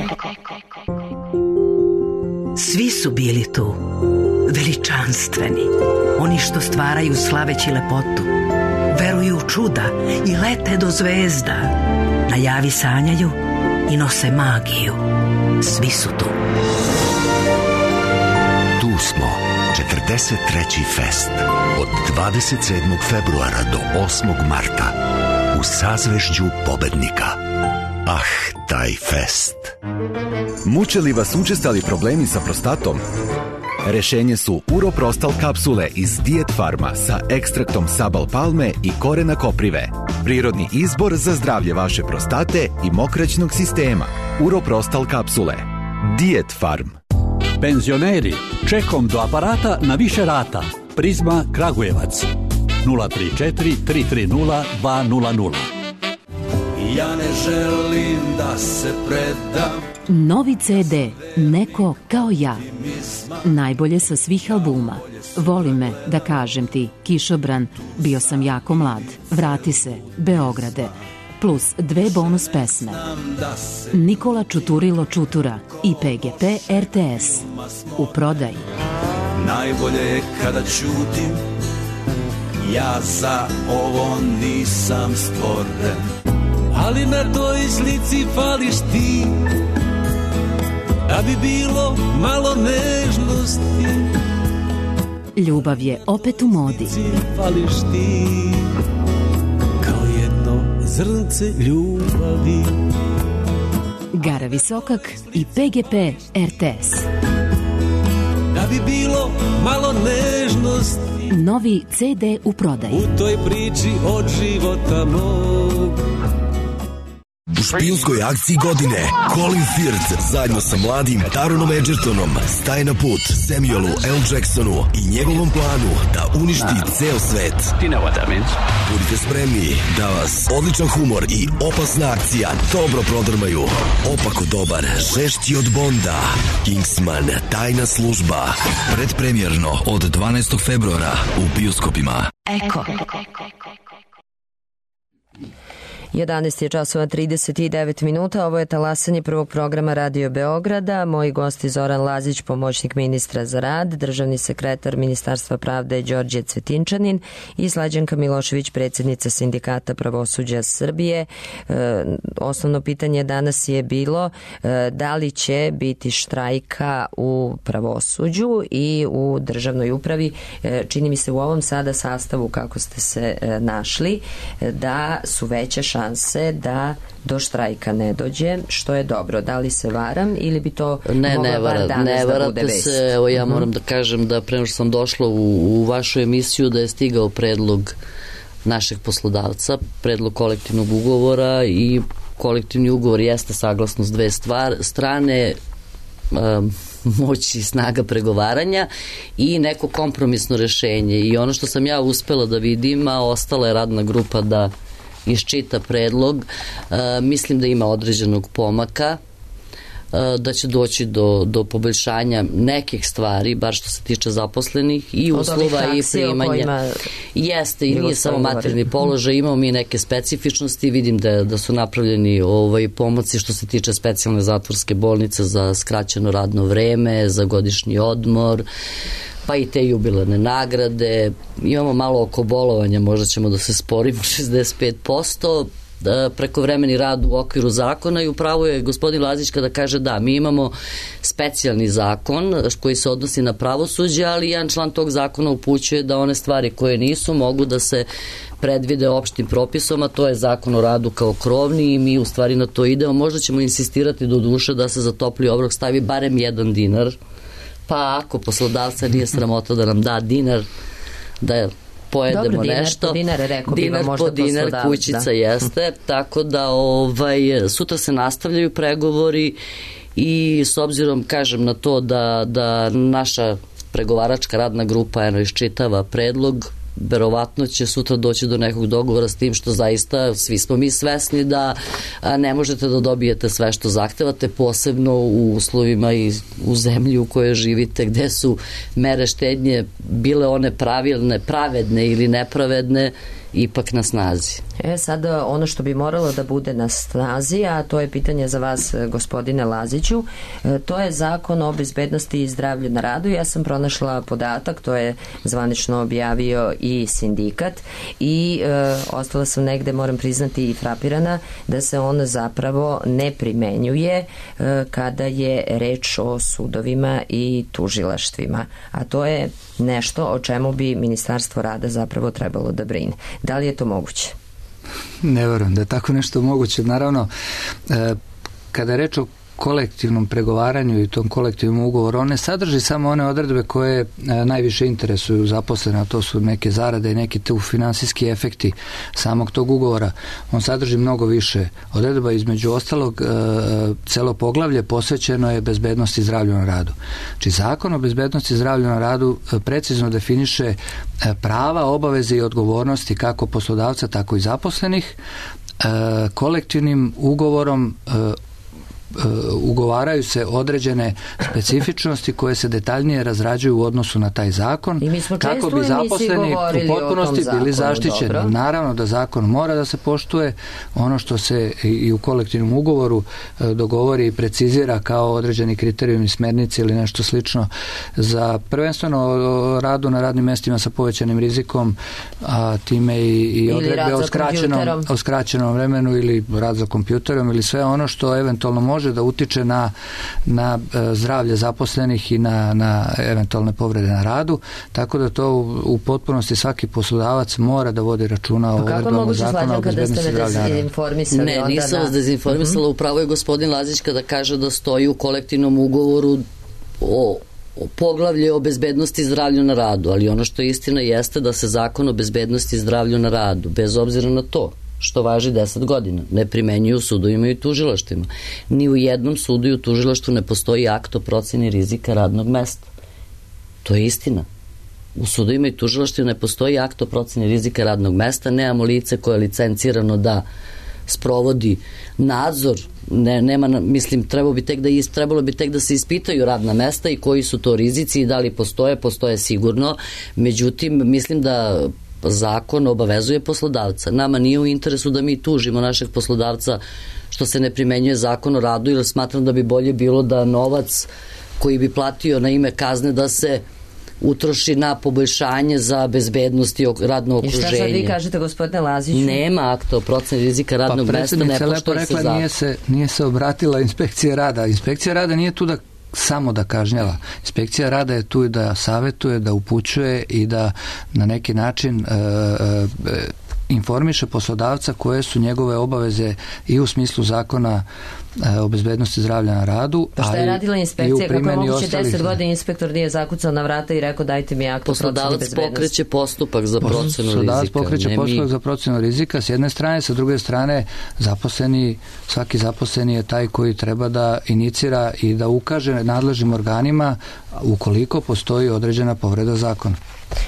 Svi su bili tu, veličanstveni, oni što stvaraju slaveći lepotu, veruju u čuda i lete do zvezda, na javi sanjaju i nose magiju. Svi su tu. Tu smo, četrdeset treći fest, od dvadeset sedmog februara do osmog marta, u sazvežđu pobednika. Ah, taj fest. Muče li vas učestali problemi sa prostatom? Rešenje su Uroprostal kapsule iz Diet Farma sa ekstraktom sabal palme i korena koprive. Prirodni izbor za zdravlje vaše prostate i mokraćnog sistema. Uroprostal kapsule. Diet Farm. Penzioneri, čekom do aparata na više rata. Prizma Kragujevac. nula tri četiri tri tri nula dva nula nula. Ja ne želim da se predam. Novi ce de Neko kao ja. Najbolje sa svih albuma. Voli me, da kažem ti, Kišobran, Bio sam jako mlad, Vrati se, Beograde, plus dve bonus pesme. Nikola Čuturilo Čutura i pe ge pe er te es. U prodaji. Najbolje je kada ćutim, ja za ovo nisam stvoren. Ali na toj slici fališ ti, da bi bilo malo nežnosti. Ljubav je opet u modi. Fališ ti, kao jedno zrnce ljubavi. Gara Visokak i pe ge pe er te es. Da bi bilo malo nežnosti. Novi ce de u prodaji. U toj priči od života mog. U špijunskoj akciji godine Colin Firth zajedno sa mladim Taronom Edgertonom staje na put Samuelu L. Jacksonu i njegovom planu da uništi ceo svet. Budite spremni da vas odličan humor i opasna akcija dobro prodrmaju. Opako dobar, žešći od Bonda. Kingsman, tajna služba. Predpremjerno od dvanaestog februara u bioskopima. Eko. jedanaest je časova trideset devet minuta, ovo je talasanje prvog programa Radio Beograda. Moji gosti Zoran Lazić, pomoćnik ministra za rad, državni sekretar Ministarstva pravde Đorđe Cvetinčanin i Slađanka Milošević, predsjednica Sindikata pravosuđa Srbije. E, osnovno pitanje danas je bilo e, da li će biti štrajka u pravosuđu i u državnoj upravi. E, čini mi se u ovom sada sastavu kako ste se e, našli e, da su veće šanse šanse da do štrajka ne dođe, što je dobro. Da li se varam ili bi to ne, mogla ne, bar vara, danas ne, da bude vest? Se, evo ja moram da kažem da pre nego što sam došla u, u vašu emisiju da je stigao predlog našeg poslodavca, predlog kolektivnog ugovora i kolektivni ugovor jeste saglasnost dve stvar, strane um, moći i snaga pregovaranja i neko kompromisno rešenje i ono što sam ja uspela da vidim, a ostala je radna grupa da iščita predlog, uh, mislim da ima određenog pomaka, uh, da će doći do, do poboljšanja nekih stvari, bar što se tiče zaposlenih i od uslova i primanja. Kojima... Jeste i nije samo materijalni položaj, imamo mi neke specifičnosti, vidim da, da su napravljeni ovaj, pomoci što se tiče specijalne zatvorske bolnice za skraćeno radno vreme, za godišnji odmor, pa i te jubilarne nagrade, imamo malo oko bolovanja, možda ćemo da se sporimo šezdeset pet posto, prekovremeni rad u okviru zakona i upravo je gospodin Lazić kada kaže da, mi imamo specijalni zakon koji se odnosi na pravosuđe, ali jedan član tog zakona upućuje da one stvari koje nisu mogu da se predvide opštim propisom, a to je zakon o radu kao krovni i mi u stvari na to idemo. Možda ćemo insistirati do duše da se za topli obrok stavi barem jedan dinar, pa ako poslodavca nije sramota da nam da dinar, da pojedemo dobro, dinar nešto. Po dinar, rekao bi dinar vam možda po dinar, kućica da. Jeste, tako da ovaj, sutra se nastavljaju pregovori i s obzirom, kažem, na to da, da naša pregovaračka radna grupa eno iščitava predlog, verovatno će sutra doći do nekog dogovora s tim što zaista svi smo mi svesni da ne možete da dobijete sve što zahtevate, posebno u uslovima i u zemlji u kojoj živite gde su mere štednje bile one pravilne, pravedne ili nepravedne, ipak na snazi. E sada ono što bi moralo da bude na snazi, a to je pitanje za vas gospodine Laziću, to je zakon o bezbednosti i zdravlju na radu. Ja sam pronašla podatak, to je zvanično objavio i sindikat i e, ostala sam negde, moram priznati, i frapirana da se on zapravo ne primenjuje e, kada je reč o sudovima i tužilaštvima, a to je nešto o čemu bi Ministarstvo rada zapravo trebalo da brine. Da li je to moguće? Ne verujem da je tako nešto moguće. Naravno, kada je reč o kolektivnom pregovaranju i tom kolektivnom ugovoru, on ne sadrži samo one odredbe koje najviše interesuju zaposlene, a to su neke zarade i neki tu finansijski efekti samog tog ugovora. On sadrži mnogo više odredba, između ostalog celo poglavlje posvećeno je bezbednosti i zdravlju na radu. Znači, zakon o bezbednosti i zdravlju na radu precizno definiše prava, obaveze i odgovornosti kako poslodavca, tako i zaposlenih. Kolektivnim ugovorom ugovaraju se određene specifičnosti koje se detaljnije razrađuju u odnosu na taj zakon, kako bi zaposleni u potpunosti bili zaštićeni. Dobro. Naravno da zakon mora da se poštuje, ono što se i u kolektivnom ugovoru dogovori i precizira kao određeni kriterijumi, smjernice ili nešto slično za prvenstveno radu na radnim mestima sa povećanim rizikom, a time i, i odredbe o skraćenom, o skraćenom vremenu ili rad za kompjuterom ili sve ono što eventualno može može da utiče na, na zdravlje zaposlenih i na, na eventualne povrede na radu, tako da to u, u potpunosti svaki poslodavac mora da vodi računa o odredbama zakona o bezbednosti zdravlja na radu. Ne, nisam vas dezinformisala, uh-huh. Upravo je gospodin Lazić kada kaže da stoji u kolektivnom ugovoru o o poglavlje o bezbednosti i zdravlju na radu, ali ono što je istina jeste da se zakon o bezbednosti i zdravlju na radu, bez obzira na to što važi deset godina. Ne primenjuju u sudovima i tužilaštvima. Ni u jednom sudu i u tužilaštvu ne postoji akt o proceni rizika radnog mesta. To je istina. U sudovima i tužilaštvima ne postoji akt o proceni rizika radnog mesta, nemamo lice koje je licencirano da sprovodi nadzor, ne, nema, mislim, trebalo bi, tek da, trebalo bi tek da se ispitaju radna mesta i koji su to rizici i da li postoje, postoje sigurno, međutim, mislim da zakon obavezuje poslodavca. Nama nije u interesu da mi tužimo našeg poslodavca što se ne primenjuje zakon o radu, jer smatram da bi bolje bilo da novac koji bi platio na ime kazne da se utroši na poboljšanje za bezbednost i radno okruženje. I šta sad vi kažete, gospodine Laziću? Nema akta o proceni rizika radnog pa, mesta, ne poštuje se zakon. Nije se, nije se obratila inspekcija rada. Inspekcija rada nije tu da samo da kažnjava. Inspekcija rada je tu da savetuje, da upućuje i da na neki način e, e, informiše poslodavca koje su njegove obaveze i u smislu zakona o bezbednosti zdravlja na radu. Pa šta je radila inspekcija? Kako je moguće deset godina inspektor nije zakucao na vrata i rekao dajte mi akt o proceni bezbednosti? Poslodavac pokreće postupak za procenu rizika. Poslodavac pokreće postupak za procenu rizika s jedne strane, sa druge strane zaposleni, svaki zaposleni je taj koji treba da inicira i da ukaže nadležnim organima ukoliko postoji određena povreda zakona.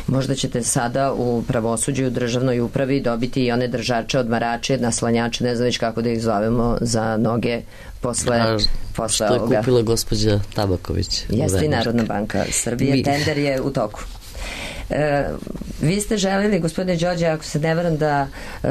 Možda ćete sada u pravosuđu i u državnoj upravi dobiti i one držače, odmarače, naslanjače, ne znam već kako da ih zovemo, za noge posle, A, posle što je ovoga. kupila gospođa Tabaković. Jeste i Narodna banka Srbije. Mi... Tender je u toku. E, vi ste želili, gospodine Đorđe, ako se ne varam da e,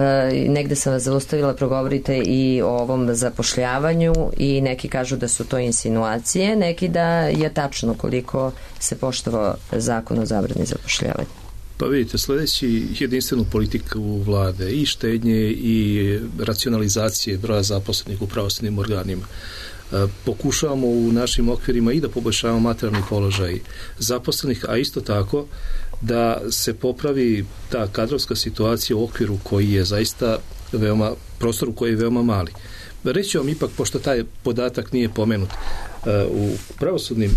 negde sam vas zaustavila, progovorite i o ovom zapošljavanju i neki kažu da su to insinuacije, neki da je tačno koliko se poštovao zakon o zabrani zapošljavanja. Pa vidite, sledeći jedinstvenu politiku vlade i štednje i racionalizacije broja zaposlenih u pravosudnim organima. Pokušavamo u našim okvirima i da poboljšavamo materijalni položaj zaposlenih, a isto tako da se popravi ta kadrovska situacija u okviru koji je zaista veoma, prostoru koji je veoma mali. Reći vam ipak, pošto taj podatak nije pomenut, u pravosudnim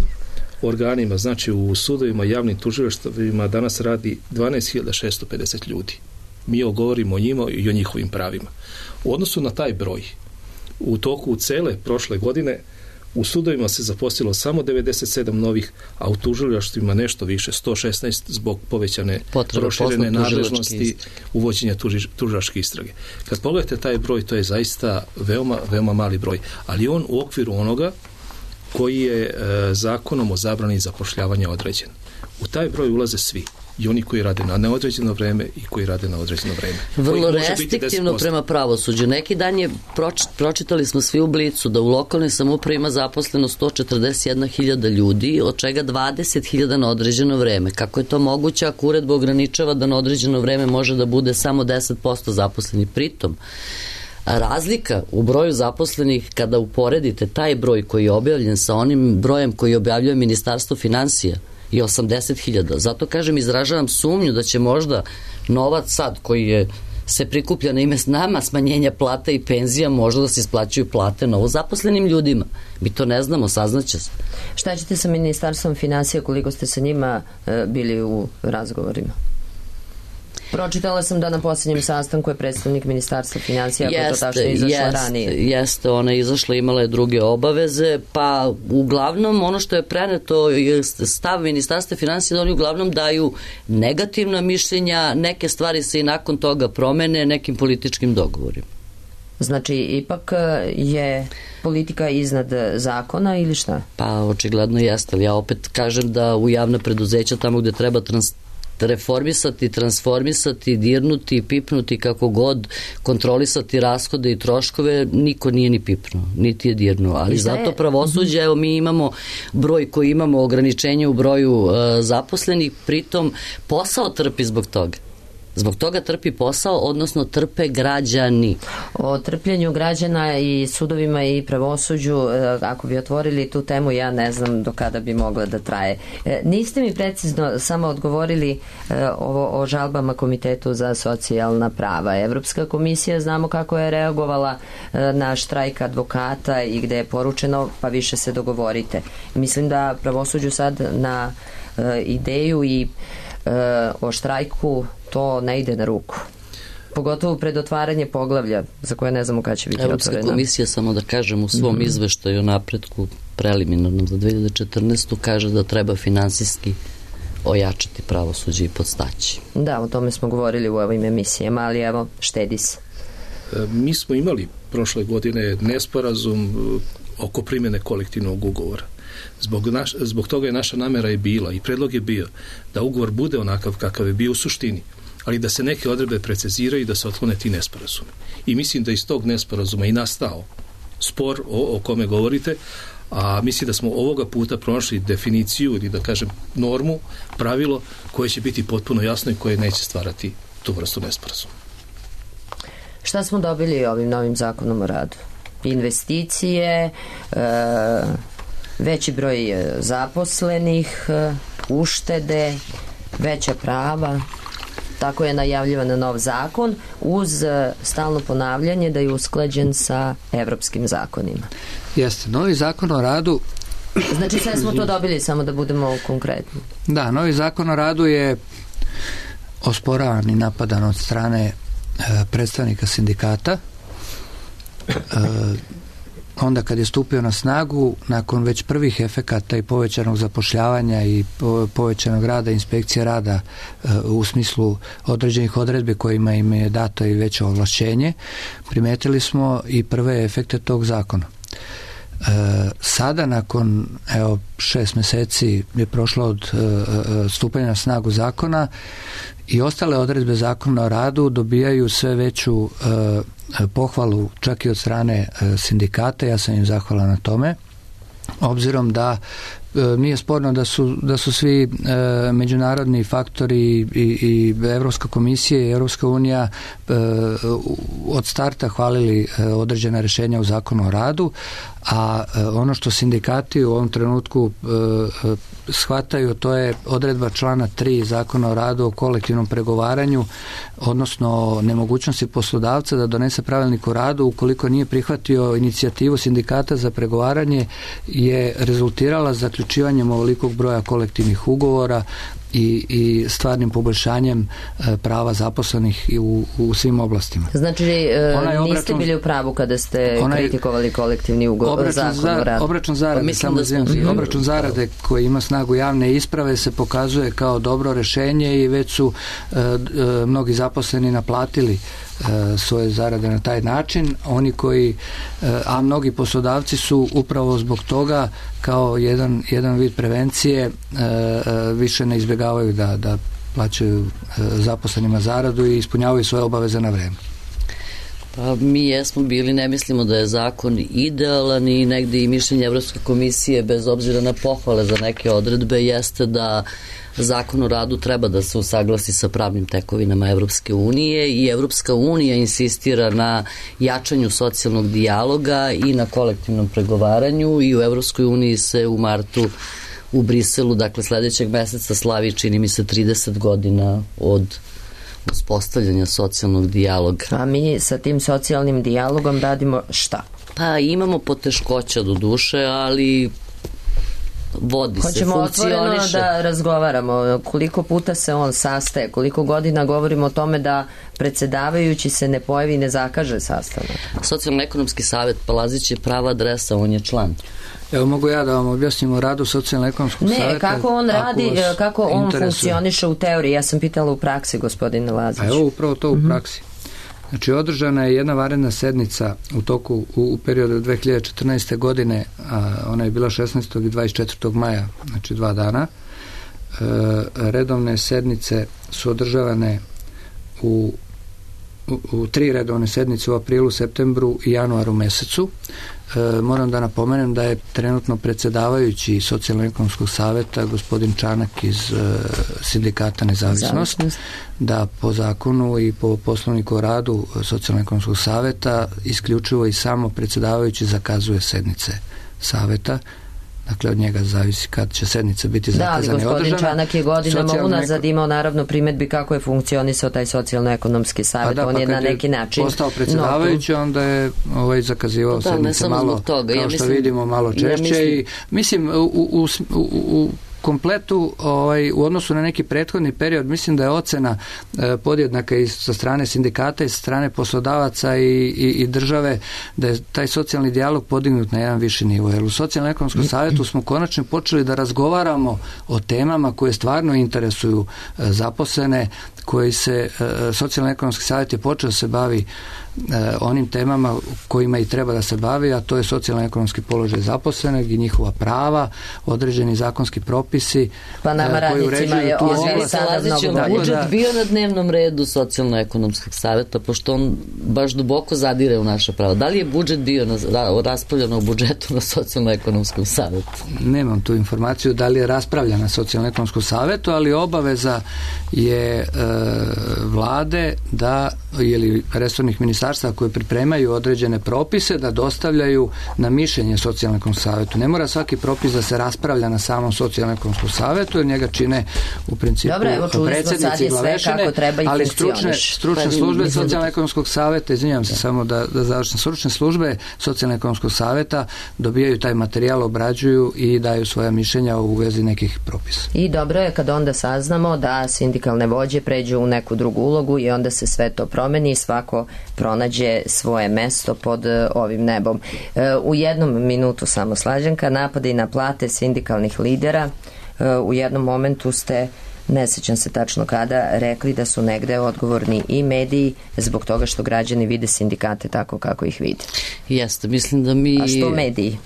organima, znači u sudovima, javnim tužilaštvima danas radi dvanaest hiljada šessto pedeset ljudi. Mi govorimo o njima i o njihovim pravima. U odnosu na taj broj, u toku cele prošle godine u sudovima se zaposlilo samo devedeset sedam novih, a u tužilaštvima nešto više, sto šesnaest zbog povećane proširene nadležnosti uvođenja tužilačke istrage. Kad pogledate taj broj, to je zaista veoma, veoma mali broj, ali on u okviru onoga koji je e, zakonom o zabrani zapošljavanja određen. U taj broj ulaze svi. I oni koji rade na neodređeno vreme i koji rade na određeno vreme. Vrlo restriktivno prema pravosuđu. Neki dan je, proč, pročitali smo svi u Blicu da u lokalnoj samoupravi ima zaposleno sto četrdeset jedna hiljada ljudi, od čega dvadeset hiljada na određeno vreme. Kako je to moguće ako uredba ograničava da na određeno vreme može da bude samo deset posto zaposlenih? Pritom, razlika u broju zaposlenih, kada uporedite taj broj koji je objavljen sa onim brojem koji objavljuje Ministarstvo finansija, i osamdeset hiljada. Zato kažem, izražavam sumnju da će možda novac sad koji je se prikuplja na ime nama smanjenja plata i penzija, možda da se isplaćuju plate novo zaposlenim ljudima. Mi to ne znamo, saznaće se. Šta ćete sa Ministarstvom finansija, koliko ste sa njima e, bili u razgovorima? Pročitala sam da na posljednjem sastanku je predstavnik Ministarstva finansija, ako to tačno izašla jest, ranije. Jeste, ona je izašla, imala je druge obaveze, pa uglavnom ono što je preneto je stav Ministarstva finansija da oni uglavnom daju negativna mišljenja, neke stvari se i nakon toga promene nekim političkim dogovorima. Znači, ipak je politika iznad zakona ili šta? Pa, očigledno jeste, ali ja opet kažem da u javna preduzeća tamo gde treba trans reformisati, transformisati, dirnuti, pipnuti, kako god, kontrolisati rashode i troškove, niko nije ni pipnuo, niti je dirnuo. Ali zato pravosuđe, evo mi imamo broj koji imamo, ograničenje u broju uh, zaposlenih, pritom posao trpi zbog toga. Zbog toga trpi posao, odnosno trpe građani. O trpljenju građana i sudovima i pravosuđu, ako bi otvorili tu temu, ja ne znam do kada bi mogla da traje. Niste mi precizno samo odgovorili ovo o žalbama Komitetu za socijalna prava. Evropska komisija, znamo kako je reagovala na štrajk advokata i gde je poručeno pa više se dogovorite. Mislim da pravosuđu sad na ideju i o štrajku to ne ide na ruku. Pogotovo pred otvaranje poglavlja za koje ne znamo kada će biti Evropska otvorena. komisija, samo da kažem, u svom mm-hmm. izveštaju o napretku preliminarnom za dve hiljade četrnaestu kaže da treba finansijski ojačati pravosuđe i podstaći. Da, o tome smo govorili u ovim emisijama, ali evo, štedi se. Mi smo imali prošle godine nesporazum oko primjene kolektivnog ugovora. Zbog, naš, zbog toga je naša namera i bila i predlog je bio da ugovor bude onakav kakav je bio u suštini, ali da se neke odredbe preciziraju i da se otklone ti nesporazumi. I mislim da iz tog nesporazuma i nastao spor o, o kome govorite, a mislim da smo ovoga puta pronašli definiciju ili da kažem normu, pravilo koje će biti potpuno jasno i koje neće stvarati tu vrstu nesporazuma. Šta smo dobili ovim novim zakonom o radu? Investicije, e, veći broj zaposlenih, uštede, veća prava. Tako je najavljivan nov zakon uz stalno ponavljanje da je usklađen sa evropskim zakonima. Jeste, novi zakon o radu... Znači sve smo to dobili, samo da budemo konkretni. Da, novi zakon o radu je osporavan i napadan od strane e, predstavnika sindikata. E, onda kad je stupio na snagu, nakon već prvih efekata i povećanog zapošljavanja i povećanog rada inspekcije rada e, u smislu određenih odredbi kojima im je dato i veće ovlašćenje, primetili smo i prve efekte tog zakona. E, sada nakon evo, šest meseci je prošlo od e, stupanja na snagu zakona i ostale odredbe zakona o radu dobijaju sve veću e, pohvalu čak i od strane e, sindikata. Ja sam im zahvalan na tome, obzirom da e, nije sporno da su, da su svi e, međunarodni faktori i, i Evropska komisija i Evropska unija e, od starta hvalili e, određena rješenja u zakonu o radu, a e, ono što sindikati u ovom trenutku e, shvataju, to je odredba člana tri zakona o radu o kolektivnom pregovaranju, odnosno nemogućnosti poslodavca da donese pravilnik o radu ukoliko nije prihvatio inicijativu sindikata za pregovaranje, je rezultirala zaključivanjem ovolikog broja kolektivnih ugovora i, i stvarnim poboljšanjem e, prava zaposlenih i u, u svim oblastima. Znači, e, obračun, niste bili u pravu kada ste onaj, kritikovali kolektivni ugovor zakon za, o radu? Obračun zarade, pa samo da obračun zarade koji ima snagu javne isprave se pokazuje kao dobro rješenje i već su e, e, mnogi zaposleni naplatili e, svoje zarade na taj način. Oni koji, e, a mnogi poslodavci su upravo zbog toga kao jedan, jedan vid prevencije e, e, više ne izbjegavaju da, da plaćaju e, zaposlenima zaradu i ispunjavaju svoje obaveze na vreme. Pa mi jesmo bili, ne mislimo da je zakon idealan i negde i mišljenje Evropske komisije, bez obzira na pohvale za neke odredbe, jeste da zakon o radu treba da se usaglasi sa pravnim tekovinama Evropske unije i Evropska unija insistira na jačanju socijalnog dijaloga i na kolektivnom pregovaranju i u Evropskoj uniji se u martu u Briselu, dakle sledećeg meseca, slavi, čini mi se, trideset godina od uspostavljanja socijalnog dijaloga. A mi sa tim socijalnim dijalogom radimo šta? Pa imamo poteškoća do duše, ali vodi se, hoćemo funkcioniše. Hoćemo otvoreno da razgovaramo. Koliko puta se on sastaje, koliko godina govorimo o tome da predsjedavajući se ne pojavi i ne zakaže sastanak. Socijalno-ekonomski savjet Palazić je prava adresa, on je član. Evo mogu ja da vam objasnim o radu socijalno-ekonomskog ne, savjeta. Ne, kako on radi, kako on funkcioniše u teoriji. Ja sam pitala u praksi, gospodine Lazić. A evo upravo to u mm-hmm. praksi. Znači, održana je jedna vanredna sednica u toku, u, u periodu dve hiljade četrnaeste. godine, a ona je bila šesnaestog i dvadeset četvrtog maja, znači dva dana. E, redovne sednice su održavane u U, u tri redovne sednice u aprilu, septembru i januaru mesecu. E, moram da napomenem da je trenutno predsjedavajući Socijalno-ekonomskog savjeta gospodin Čanak iz e, sindikata Nezavisnost, Zavisnost. Da po zakonu i po poslovniku o radu Socijalno-ekonomskog savjeta isključivo i samo predsjedavajući zakazuje sednice savjeta. Dakle, od njega zavisi kad će sednica biti zakazana i održana. Da, ali gospodin Čanak je godinama unazad imao naravno primjedbi kako je funkcionisao taj socijalno-ekonomski savjet. Da, on pa je na neki način postao predsjedavajući, no, onda je ovaj zakazivao da, sednice malo, toga. kao ja što mislim, vidimo, malo češće. Ja mislim, i, mislim, u, u, u, u kompletu ovaj, u odnosu na neki prethodni period mislim da je ocena e, podjednaka i sa strane sindikata i sa strane poslodavaca i, i, i države da je taj socijalni dijalog podignut na jedan viši nivo. Jer u Socijalno-ekonomskom savjetu smo konačno počeli da razgovaramo o temama koje stvarno interesuju e, zaposlene, koji se, e, Socijalno-ekonomski savjet je počeo da se bavi onim temama kojima i treba da se bavi, a to je socijalno-ekonomski položaj zaposlenog i njihova prava, određeni zakonski propisi. Pa nama radnicima je ovo sada mnogo bolje. Budžet bio na dnevnom redu Socijalno-ekonomskog savjeta, pošto on baš duboko zadire u naše pravo. Da li je budžet bio na, raspravljeno o budžetu na Socijalno-ekonomskom savjetu? Nemam tu informaciju da li je raspravljeno na Socijalno-ekonomskom savjetu, ali obaveza je e, vlade da, ili resornih ministarstva koje pripremaju određene propise da dostavljaju na mišljenje Socijalno-ekonomskom savjetu. Ne mora svaki propis da se raspravlja na samom Socijalno-ekonomskom savjetu, jer njega čine u principu Dobro, predsjednici glavešine, ali stručne, stručne službe Socijalno-ekonomskog savjeta, izvinjam se samo da, da završim, stručne službe Socijalno-ekonomskog savjeta dobijaju taj materijal, obrađuju i daju svoja mišljenja u vezi nekih propisa. I dobro je kad onda saznamo da sindikalne vođe pređu u neku drugu ulogu i onda se sve to promeni i svako pronađe svoje mesto pod ovim nebom. U jednom minutu samo Slađanka, napade na plate sindikalnih lidera. U jednom momentu ste, ne sećam se tačno kada, rekli da su negde odgovorni i mediji zbog toga što građani vide sindikate tako kako ih vide. Jeste, mislim da mi... A što mediji?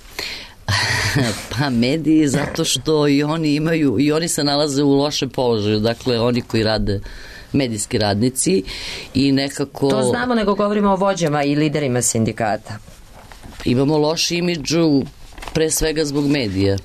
Pa mediji zato što i oni imaju, i oni se nalaze u lošem položaju, dakle oni koji rade, medijski radnici, i nekako... To znamo, nego govorimo o vođama i liderima sindikata. Imamo loš imidž pre svega zbog medija.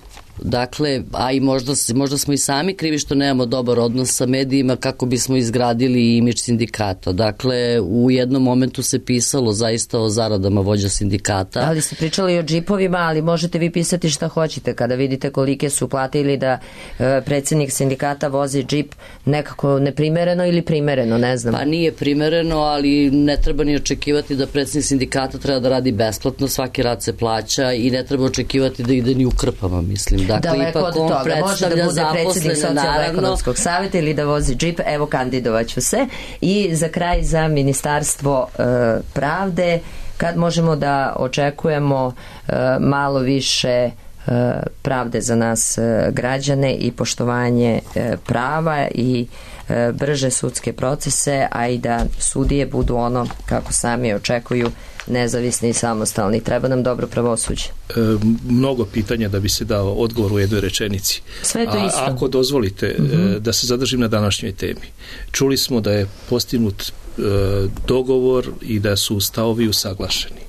Dakle, a i možda, možda smo i sami krivi što nemamo dobar odnos sa medijima kako bismo izgradili imidž sindikata. Dakle, u jednom momentu se pisalo zaista o zaradama vođa sindikata. Ali ste pričali o džipovima, ali možete vi pisati šta hoćete kada vidite kolike su plate ili da e, predsjednik sindikata vozi džip nekako neprimereno ili primereno, ne znam. Pa nije primereno, ali ne treba ni očekivati da predsjednik sindikata treba da radi besplatno, svaki rad se plaća i ne treba očekivati da ide ni u krpama, mislim. Dakle, daleko od toga. Može da bude predsjednik Socijalno-ekonomskog savjeta ili da vozi džip. Evo, kandidovaću se. I za kraj, za Ministarstvo e, pravde, kad možemo da očekujemo e, malo više e, pravde za nas e, građane i poštovanje e, prava i e, brže sudske procese, a i da sudije budu ono kako sami očekuju, nezavisni i samostalni. Treba nam dobro pravosuđe. E, mnogo pitanja da bi se dao odgovor u jednoj rečenici. Sve to isto. A ako dozvolite mm-hmm. e, da se zadržim na današnjoj temi. Čuli smo da je postignut e, dogovor i da su stavovi usaglašeni.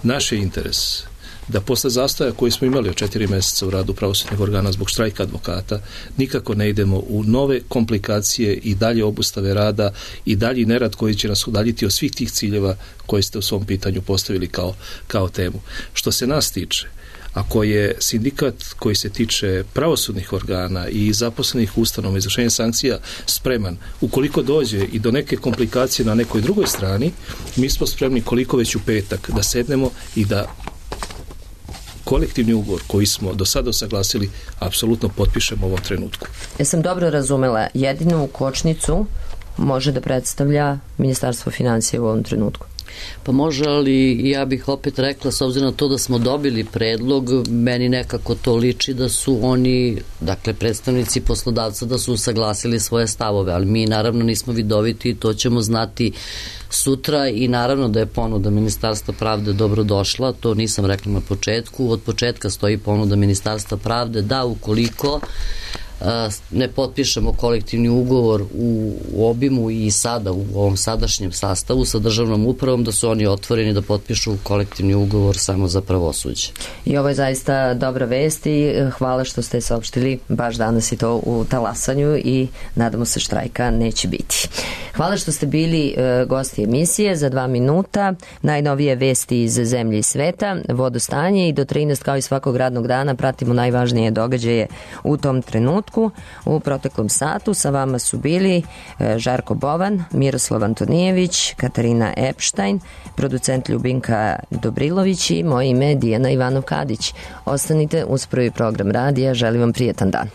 Naš je interes da posle zastoja koji smo imali od četiri mjeseca u radu pravosudnih organa zbog štrajka advokata nikako ne idemo u nove komplikacije i dalje obustave rada i dalji nerad koji će nas udaljiti od svih tih ciljeva koje ste u svom pitanju postavili kao, kao temu. Što se nas tiče, ako je sindikat koji se tiče pravosudnih organa i zaposlenih ustanova izvršenja sankcija spreman, ukoliko dođe i do neke komplikacije na nekoj drugoj strani, mi smo spremni koliko već u petak da sednemo i da kolektivni ugovor koji smo do sada usaglasili apsolutno potpišemo u ovom trenutku. Ja sam dobro razumela, jedinu kočnicu može da predstavlja Ministarstvo financija u ovom trenutku. Pa može, ali ja bih opet rekla, s obzirom na to da smo dobili predlog, meni nekako to liči da su oni, dakle predstavnici poslodavca, da su usaglasili svoje stavove, ali mi naravno nismo vidoviti i to ćemo znati sutra i naravno da je ponuda Ministarstva pravde dobro došla, to nisam rekla na početku, od početka stoji ponuda Ministarstva pravde da ukoliko ne potpišemo kolektivni ugovor u obimu i sada u ovom sadašnjem sastavu sa državnom upravom, da su oni otvoreni da potpišu kolektivni ugovor samo za pravosuđe. I ovo je zaista dobra vest i hvala što ste saopštili baš danas i to u talasanju i nadamo se štrajka neće biti. Hvala što ste bili gosti emisije. Za dva minuta najnovije vesti iz zemlje i sveta, vodostanje i do trinaest kao i svakog radnog dana pratimo najvažnije događaje u tom trenutku. U proteklom satu sa vama su bili Žarko Bovan, Miroslav Antonijević, Katarina Epštajn, producent Ljubinka Dobrilović i moje ime Dijana Ivanov-Kadić. Ostanite uz prvi program radija. Želim vam prijetan dan.